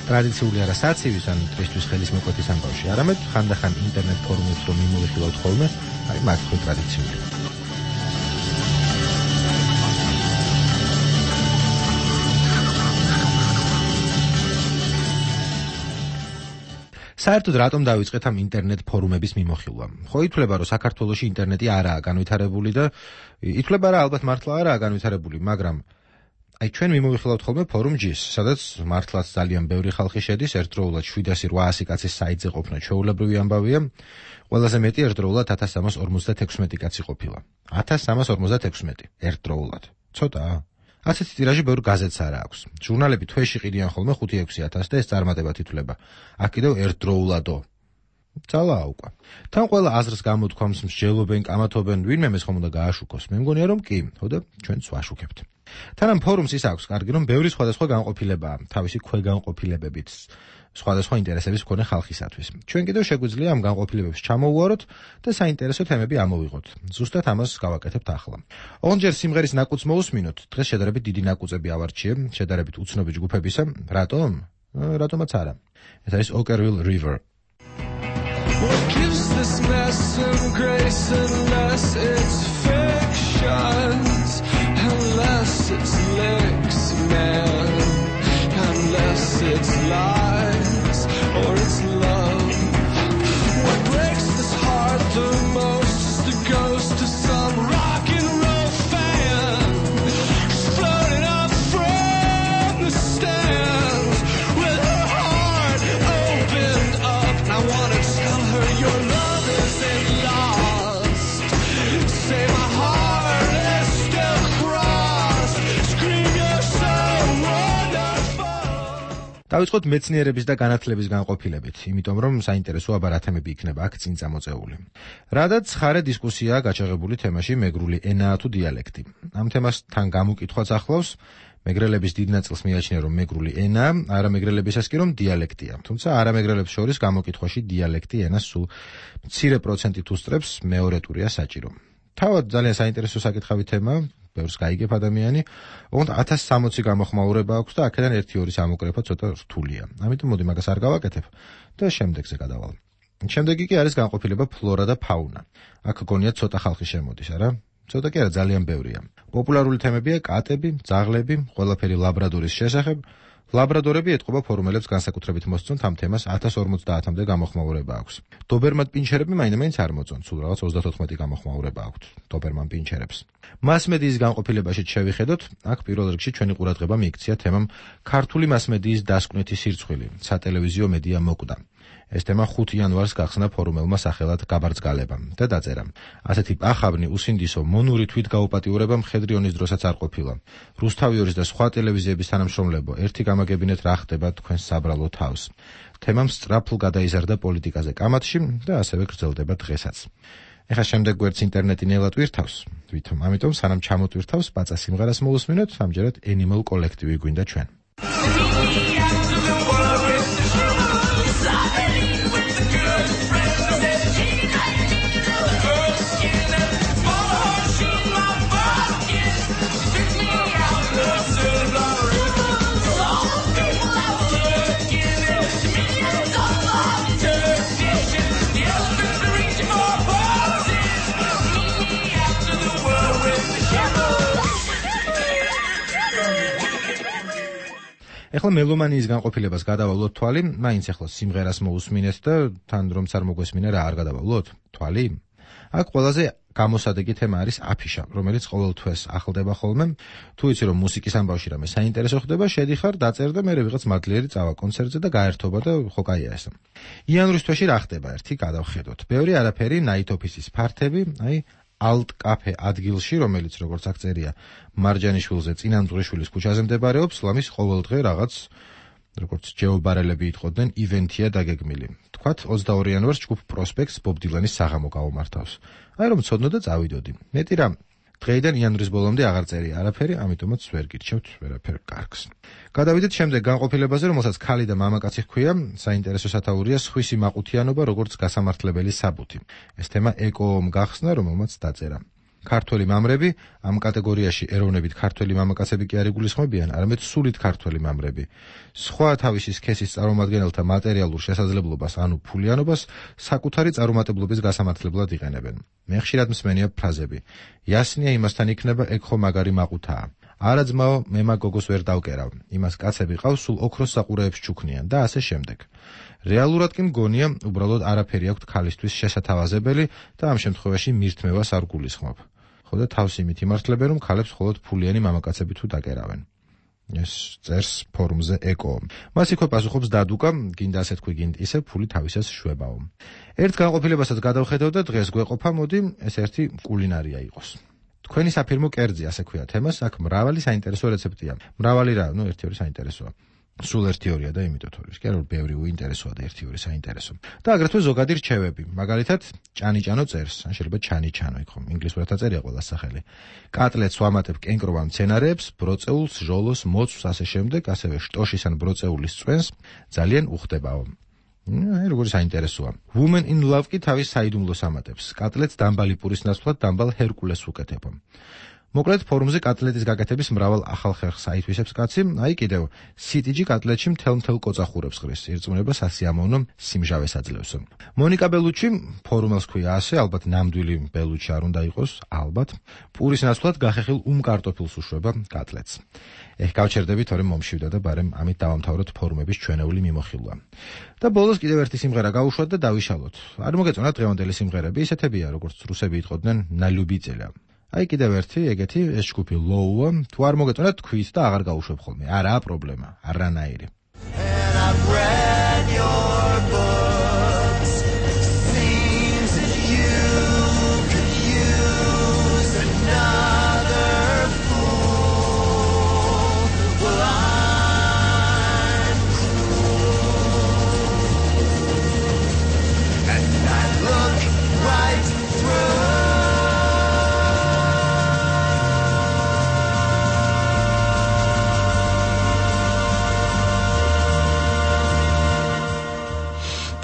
ტრადიციული არა საცივის ან დღისთვის ხელის მოკვეთის ამბავში, არამედ ხანდახან ინტერნეტ ფორუმებს რომ მიმოვიხილავთ ხოლმე, აი მაგ ხო ტრადიციული. საერთოდ რატომ დავიწყეთ ამ ინტერნეტ ფორუმების მიმოხილვა? ხო ითვლება, რომ საქართველოში ინტერნეტი არაა განვითარებული და ითვლება რა ალბათ მართლა არაა განვითარებული, მაგრამ აი ჩვენ მიმოვიხილავთ ხოლმე ფორუმ G-ს, სადაც მართლაც ძალიან ბევრი ხალხი შედის, ერთდროულად 700-800 კაცის საიტზე ყოფნა ჩვეულებრივი ამბავია. ყველაზე მეტი ერთდროულად 1356 კაცი ყოფილა. 1356 ერთდროულად. ცოტაა. ასეთი ტირაჟი ბევრ გაზეთს არა აქვს. ჟურნალები თვეში ყიდიან ხოლმე 5-6000 და ეს წარმატებად ითვლება. აქ კიდევ ერთდროულადო. ძალაა უკვე. თან ყველა აზრს გამოთქვამს, მსჯელობენ, კამათობენ, ვინმე მეს ხომ უნდა გააშუქოს. მე მგონია რომ კი, ხო და ჩვენც ვაშუქებთ. თან ამ ფორუმს ის აქვს კარგი, რომ ბევრი სხვადასხვა განყოფილებაა, თავისი ქვეგანყოფილებებით, სხვადასხვა ინტერესების მქონე ხალხისათვის. ჩვენ კიდევ შეგვიძლია ამ განყოფილებებს ჩამოვუაროთ და საინტერესო თემები ამოვიღოთ. ზუსტად ამას გავაკეთებთ ახლა. ოღონდ ჯერ სიმღერის ნაკუც მოусმინოთ. დღეს შედარებით დიდი ნაკუწები ავარჩიე, შედარებით უცნობი ჯგუფებისა. რატომ? რატომაც არა. ეს არის Okkervil River. What gives this mess some grace unless it's fictions, unless it's licks, man, unless it's lies or it's love. What breaks this heart the most is the ghost of some rock and roll fan, just floating up from the stands with her heart opened up. And I wanna tell her your love isn't lost. Say my heart is still crossed. Scream you're so wonderful. დავიწყოთ მეცნიერების და განათლების განყოფილებით, იმიტომ რომ საინტერესო აბა რა თემები იქნება აქ წინ წამოწეული. რადგან ხარე დისკუსიაა გაჩაღებული თემაში მეგრული ენაა თუ დიალექტი. ამ თემასთან გამოკითხვაც ახლავს მეგრელების დიდ ნაწილს მიაჩნია რომ მეგრული ენაა, არამეგრელებისას კი რომ დიალექტია. თუმცა არამეგრელებს შორის გამოკითხვაში დიალექტი ენას სულ მცირე პროცენტით უსწრებს, მეორე ტურია საჭირო. თავად ძალიან საინტერესო საკითხავი თემა, ბევრს გაიგებ ადამიანი, ოღონდ 1060 გამოხმაურება აქვს და აქედან 1-2 სამოკრეფა ცოტა რთულია. ამიტომ მოდი მაგას არ გავაკეთებ და შემდეგზე გადავალ. შემდეგი კი არის განყოფილება ფლორა და ფაუნა. აქ გონია ცოტა ხალხი შემოდის, არა? ცოტა კი არა, ძალიან ბევრია. პოპულარული თემებია კატები, ძაღლები, ყველაფერი ლაბრადორის შესახებ. ლაბრადორები ეთყობა ფორუმელებს განსაკუთრებით მოსწონთ ამ თემას 1050-მდე გამოხმაურება აქვს. დობერმან პინჩერები მაინც არ მოწონთ, სულ რაღაც 34 გამოხმაურება აქვთ დობერმან პინჩერებს. მასმედიის განყოფილებაშიც შევიხედოთ, აქ პირველ რიგში ჩვენი ყურადღება მიიქცია თემამ ქართული მასმედიის დასკვნითი სირცხვილი, სატელევიზიო მედია მოკვდა. ეს თემა 5 იანვარს გახსნა ფორუმელმა სახელად გაბარძგალებამ და დაწერა: ასეთი პახაბნი უსინდისო მონური თვითგაუპატიურება მხედრიონის დროსაც არ ყოფილა. რუსთავიორის და სხვა ტელევიზიების თანამშრომლებო, ერთი გამაგებინეთ რა ხდება თქვენს საბრალო თავს. თემამ სწრაფლ გადაიზარდა პოლიტიკაზე კამათში და ასევე გრძელდება დღესაც. ეხლა შემდეგ გვერდს ინტერნეტი ნელა ტვირთავს, თვითონ ამიტომ სანამ ჩამოტვირთავს პაცა სიმღერას მოვუსმინოთ, ამჯერად Animal კოლექტივი გვინდა ჩვენ. ეხლა მელომანიის განყოფილებას გადავალოთ თვალი, მაინც ეხლა სიმღერას მოусმინეთ და თან რომც არ მოგვესმინა რა არ გადავალოთ თვალი? აქ ყველაზე გამოსადეგი თემა არის აფიშა, რომელიც ყოველთვის ახლდება ხოლმე. თუ იცი რომ მუსიკის ამბავში რამე საინტერესო ხდება, შედიხარ, დაწერ და მერე ვიღაც მადლიერი წავა კონცერტზე და გაერთობა და ხო კაია ეს. იანვრის თვეში რა ხდება ერთი გადავხედოთ. ბევრი არაფერი, night office-ის ფართები, აი Alt Cafe ადგილში, რომელიც როგორც აქ წერია, მარჯანიშვილზე წინამძღვრიშვილის ქუჩაზე მდებარეობს, ლამის ყოველდღე რაღაც როგორც ჯეობარელები იტყოდნენ, ივენთია დაგეგმილი. თქვათ 22 იანვარს ჯგუფ პროსპექტს ბობ დილანის საღამო გავუმართავს. აი რომ ცოდნო და წავიდოდი. მეტი რა დღეიდან იანვრის ბოლომდე აღარ წერია არაფერი, ამიტომაც ვერ გირჩევთ ვერაფერ კარგს. გადავიდეთ შემდეგ განყოფილებაზე, რომელსაც ქალი და მამაკაცი ჰქვია, საინტერესო სათაურია სხვისი მაყუთიანობა, როგორც გასამართლებელი საბუთი. ეს თემა ეკომ გახსნა, რომელმაც დაწერა. ქართველი მამრები, ამ კატეგორიაში ეროვნებით ქართველი მამაკაცები კი არ იგულისხმებიან, არამედ სულით ქართველი მამრები. სხვა თავისი სქესის წარმომადგენელთა მატერიალურ შესაძლებლობას, ანუ ფულიანობას, საკუთარი წარუმატებლობის გასამართლებლად იყენებენ. მე ხშირად მსმენია ფრაზები: "იასნია იმასთან იქნება, ეგ ხო მაგარი მაყუთაა. არა ძმაო, მე მაგ გოგოს ვერ დავკერავ. იმას კაცები ყავს, სულ ოქროს საყურეებს ჩუქნიან" და ასე შემდეგ. რეალურად კი მგონია, უბრალოდ არაფერი აქვთ ქალისთვის შესათავაზებელი და ამ შემთხვევაში მირთმევას არ გულისხმობ. ხო და თავს იმით იმართლებენ, რომ ქალებს მხოლოდ ფულიანი მამაკაცები თუ დაკერავენ. ეს წერს ფორუმზე ეკო. მას იქვე პასუხობს დადუკა, გინდა ასე თქვი, გინდა ისე, ფული თავისას შვებაო. ერთ განყოფილებასაც გადავხედავ და დღეს გვეყოფა, მოდი ეს ერთი კულინარია იყოს. თქვენი საფირმო კერძი, ასე ქვია თემას, აქ მრავალი საინტერესო რეცეპტია. მრავალი რა, ერთი-ორი საინტერესოა. სულ ერთი-ორია და იმიტომ თორემ კი არა, ბევრი უინტერესოა და ერთი-ორი საინტერესო. და აგრეთვე ზოგადი რჩევები. მაგალითად, ჭანიჭანო წერს, ან შეიძლება ჩანიჩანო იქ ხომ, ინგლისურად წერია ყველას სახელი. კატლეტს ვამატებ კენკროვან მცენარეებს, ბროწეულს, ჟოლოს, მოცვს, ასე შემდეგ, ასევე შტოშის ან ბროწეულის წვენს, ძალიან უხდებაო. როგორი საინტერესოა. Women in Love კი თავის საიდუმლოს ამატებს. კატლეტს დამბალი პურის ნაცვლად დამბალ ჰერკულეს უკეთებ. მოკლედ ფორუმზე კატლეტის გაკეთების მრავალ ახალ ხერხს აითვისებს კაცი, აი კიდევ CTG კატლეტში მთელ კოწახურებს ღრის, ირწმუნება სასიამოვნო სიმჟავეს აძლევს. მონიკა ბელუჩი ფორუმელს ქვია ასე, ალბათ ნამდვილი ბელუჩი არ უნდა იყოს, ალბათ, პურის ნაცვლად გახეხილ კარტოფილს უშვება კატლეტს. გავჩერდები, თორემ მომშივდა და ბარემ ამით დავამთავროთ ფორუმების ჩვენეული მიმოხილვა. და ბოლოს კიდევ ერთი სიმღერა გავუშვათ და დავიშალოთ. არ მოგეწონათ დღევანდელი სიმღერები, ისეთებია, როგორც რუსები იტყოდნენ, ნალյուბიწელა. აი კიდევ ერთი ეგეთი ეს ჯგუფი ლოუა, თუ არ მოგეწონათ თქვით და აღარ გავუშვებ ხოლმე. არაა პრობლემა, არანაირი.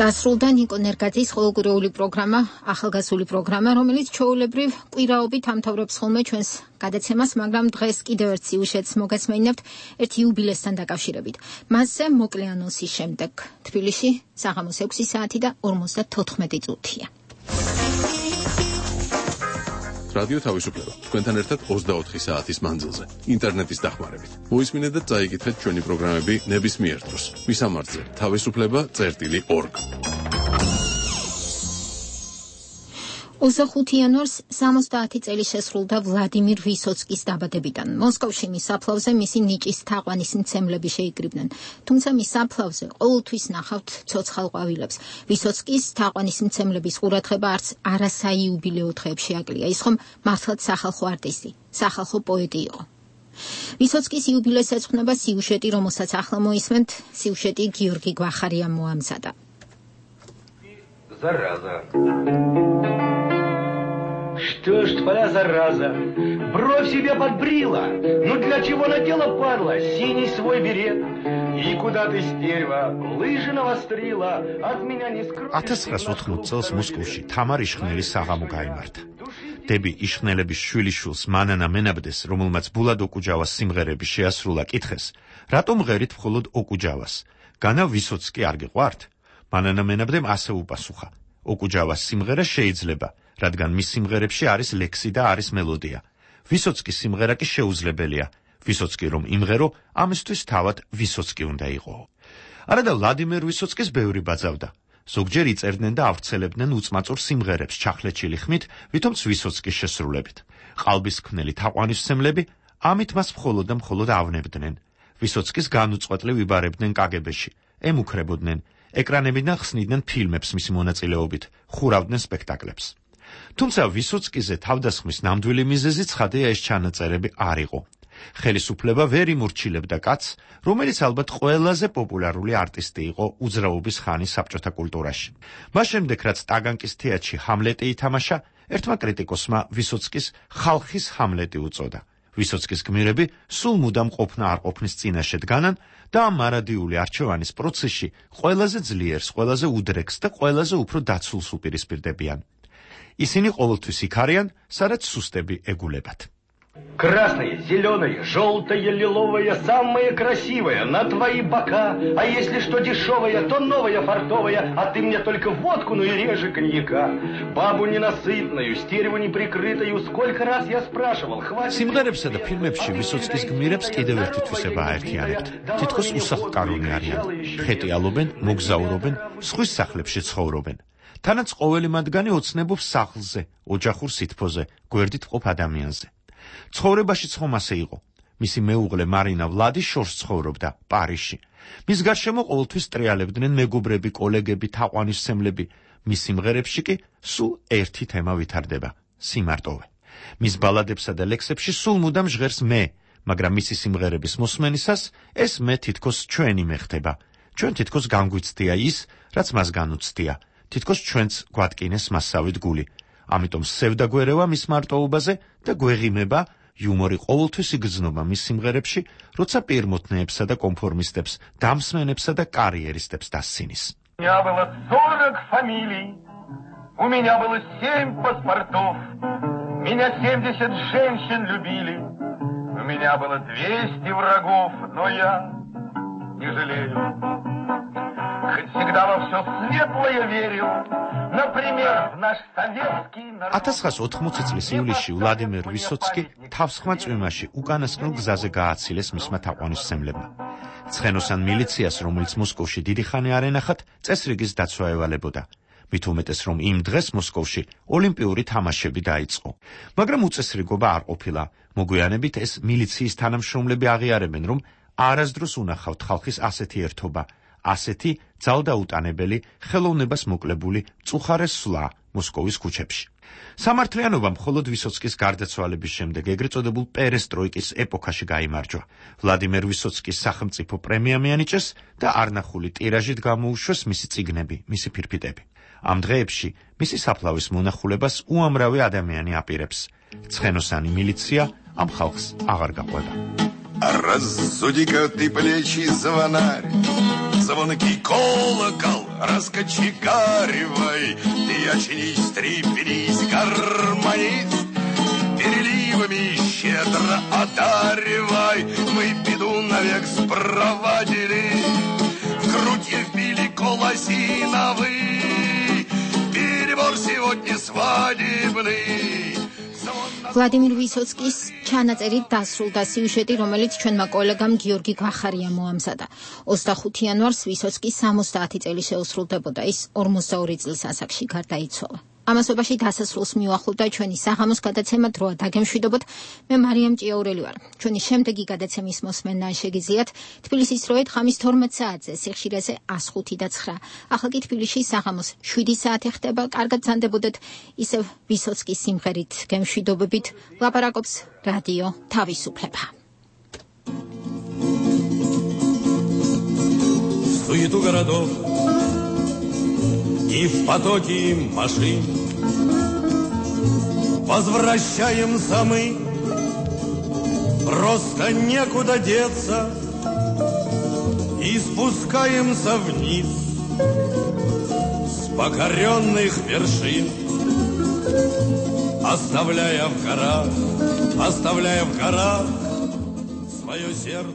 დასრულდა ნიკო ნერგაძის ხოლოგურეული პროგრამა, ახალგაზრდული პროგრამა, რომელიც ჩვეულებრივ კვირაობით ამთავრებს ხოლმე ჩვენს გადაცემას, მაგრამ დღეს კიდევ ერთ სიუჟეტს მოგესმენინებთ ერთ იუბილესთან დაკავშირებით. მასზე მოკლე ანონსის შემდეგ თბილისში საღამოს 6 საათი და 54 წუთია. რადიო თავისუფლება თქვენთან ერთად 24 საათის მანძილზე ინტერნეტის დახმარებით. მოისმინეთ და წაიკითხეთ ჩვენი პროგრამები ნებისმიერ დროს. მისამართზე თავისუფლება.org. 25 იანვარს 70 წელი შესრულდა ვლადიმირ ვისოცკის დაბადებიდან. მოსკოვში მის საფლავზე მისი ნიჭის თაყვანის მცემლები შეიკრიბნენ. თუმცა მის საფლავზე ყოველთვის ნახავთ ცოცხალ ყვავილებს. ვისოცკის თაყვანის მცემლების ყურადღება არც არასაიუბილეო დღეებში აკლია. ის ხომ მართლაც სახალხო არტისტი, სახალხო პოეტი იყო. ვისოცკის იუბილეს ეძღვნება სიუჟეტი, რომელსაც ახლა მოისმენთ. სიუჟეტი გიორგი გვახარიამ მოამზადა. Зараза. Что ж твоя зараза? Бровь себе подбрила. Ну для чего надела, падла, синий свой берет? И куда ты, стерва, лыжи навострила? От меня не скроешь. 1980 წელს მოსკოვში თამარ იშხნელის საღამო გაიმართა. დები იშხნელების შვილიშვილს მანანა მენაბდეს, რომელმაც ბულად ოკუჯავას სიმღერები შეასრულა, კითხეს: რატომ ღერით მხოლოდ ოკუჯავას? განა ვისოცკი არ გიყვართ? მანანა მენაბდემ ასე უპასუხა: ოკუჯავას სიმღერა შეიძლება, რადგან მის სიმღერებში არის ლექსი და არის მელოდია. ვისოცკის სიმღერა კი შეუძლებელია. ვისოცკი რომ იმღერო, ამისთვის თავად ვისოცკი უნდა იყო. არადა ვლადიმერ ვისოცკის ბევრი ბაძავდა. ზოგჯერ იწერდნენ და ავრცელებდნენ უწმაწურ სიმღერებს ჩახლეჩილი ხმით, ვითომც ვისოცკის შესრულებით. ყალბისქმნელი თაყვანისმცემლები ამით მას მხოლოდ და მხოლოდ ავნებდნენ. ვისოცკის განუწყვეტლივ იბარებდნენ კაგებეში, ემუქრებოდნენ, ეკრანებიდან ხსნიდნენ ფილმებს მისი მონაწილეობით, ხურავდნენ სპექტაკლებს. თუმცა ვისოცკიზე თავდასხმის ნამდვილი მიზეზი ცხადია ეს ჩანაწერები არ იყო. ხელისუფლება ვერ იმორჩილებდა კაცს, რომელიც ალბათ ყველაზე პოპულარული არტისტი იყო უძრაობის ხანის საბჭოთა კულტურაში. მას შემდეგ, რაც ტაგანკის თეატრში ჰამლეტი ითამაშა, ერთმა კრიტიკოსმა ვისოცკის ხალხის ჰამლეტი უწოდა. ვისოცკის გმირები სულ მუდამ ყოფნა არ ყოფნის წინაშე დგანან და ამ მარადიული არჩევანის პროცესში ყველაზე ძლიერს, ყველაზე უდრეკს და ყველაზე უფრო დაცულს უპირისპირდებიან. ისინი ყოველთვის იქ არიან, სადაც სუსტები ეგულებათ. Красное, зеленое, желтое, лиловое, самое красивое, на твои бока. А если что дешевое, то новое, фартовое, а ты мне только водку, ну и реже коньяка. Бабу ненасытную, стерву неприкрытую, сколько раз я спрашивал, хватит... სიმღერებსა და ფილმებში ვისოცკის გმირებს კიდევ ერთი თვისება აერთიანებთ. თითქოს უსახლკარონი არიან. ხეტიალობენ, მოგზაურობენ, სხვის სახლებში ცხოვრობენ. თანაც ყოველი მათგანი ოცნებობს სახლზე, ოჯახურ სითბოზე, გვერდით მყოფ ადამიანზე. ცხოვრებაშიც ხომ ასე იყო. მისი მეუღლე მარინა ვლადი შორს ცხოვრობდა პარიზში. მის გარშემო ყოველთვის ტრიალებდნენ მეგობრები, კოლეგები, თაყვანისმცემლები. მის სიმღერებში კი სულ ერთი თემა ვითარდება: სიმარტოვე. მის ბალადებსა და ლექსებში სულ მუდამ ჟღერს მე, მაგრამ მისი სიმღერების მოსმენისას ეს მე თითქოს ჩვენი მე ხდება. ჩვენ თითქოს განგვიცდია ის, რაც მას განუცდია. თითქოს ჩვენც გვატკინეს მასავით გული. ამიტომ სევდაგვერევა მის მარტოობაზე და გვეღიმება იუმორი ყოველთვის იგრძნობა მის სიმღერებში, როცა პირმოთნეებსა და კონფორმისტებს, დამსმენებსა და კარიერისტებს დასცინის. У меня было 40 фамилий, у меня было 7 паспортов, меня 70 женщин любили, у меня было 200 врагов, но я не жалею. Хоть всегда во все светлое верил, например, в наш советский народ. 1980 წლის ივლისში ვლადიმერ ვისოცკი თავსხმა წვიმაში უკანასკნელ გზაზე გააცილეს მისმა თაყვანისმცემლებმა. ცხენოსან მილიციას, რომელიც მოსკოვში დიდი ხანი არ ენახათ, წესრიგის დაცვა ევალებოდა. მით უმეტეს, რომ იმ დღეს მოსკოვში ოლიმპიური თამაშები დაიწყო. მაგრამ უწესრიგობა არ ყოფილა. მოგვიანებით ეს მილიციის თანამშრომლები აღიარებენ, რომ არასდროს უნახავთ ხალხის ასეთი ერთობა, ასეთი ძალდაუტანებელი, ხელოვნებას მოკლებული წუხარე სვლა მოსკოვის ქუჩებში. სამართლიანობა მხოლოდ ვისოცკის გარდაცვალების შემდეგ ეგრეთ წოდებულ პერესტროიკის ეპოქაში გაიმარჯვა. ვლადიმერ ვისოცკის სახელმწიფო პრემია მიანიჭეს და არნახული ტირაჟით გამოუშვეს მისი წიგნები, მისი ფირფიტები. ამ დღეებში მისი საფლავის მონახულებას უამრავი ადამიანი აპირებს. ცხენოსანი militsия ამ ხალხს აღარ გაყვება. Разуди-ка ты плечи, звонарь, звонкий колокол раскочегаривай, ты очнись, трепенись, гармонист, переливами щедро одаривай, мы беду навек спровадили, в грудь вбили колосиновый, перебор сегодня свадебный. ვლადიმირ ვისოცკის ჩანაწერით დასრულდა სიუჟეტი, რომელიც ჩვენმა კოლეგამ გიორგი გვახარიამ მოამზადა. 25 იანვარს ვისოცკი 70 წელი შეუსრულდებოდა. ის 42 წლის ასაკში გარდაიცვალა. ამასობაში დასასრულს მიუახლოვდა ჩვენი საღამოს გადაცემა დროა დაგემშვიდობოთ. მე მარიამ ჭიაურელი ვარ. ჩვენი შემდეგი გადაცემის მოსმენა შეგიძლიათ თბილისის დროით ხამის 12 საათზე, სიხშირეზე 105 და 9. ახლა კი თბილისში საღამოს 7 საათი ხდება. კარგად ზანდებოდეთ. ისევ ვისოცკის სიმღერით გემშვიდობებით ლაპარაკობს რადიო თავისუფლება. Суету городов и в потоке машин возвращаемся мы, просто некуда деться, и спускаемся вниз с покоренных вершин, оставляя в горах свое сердце.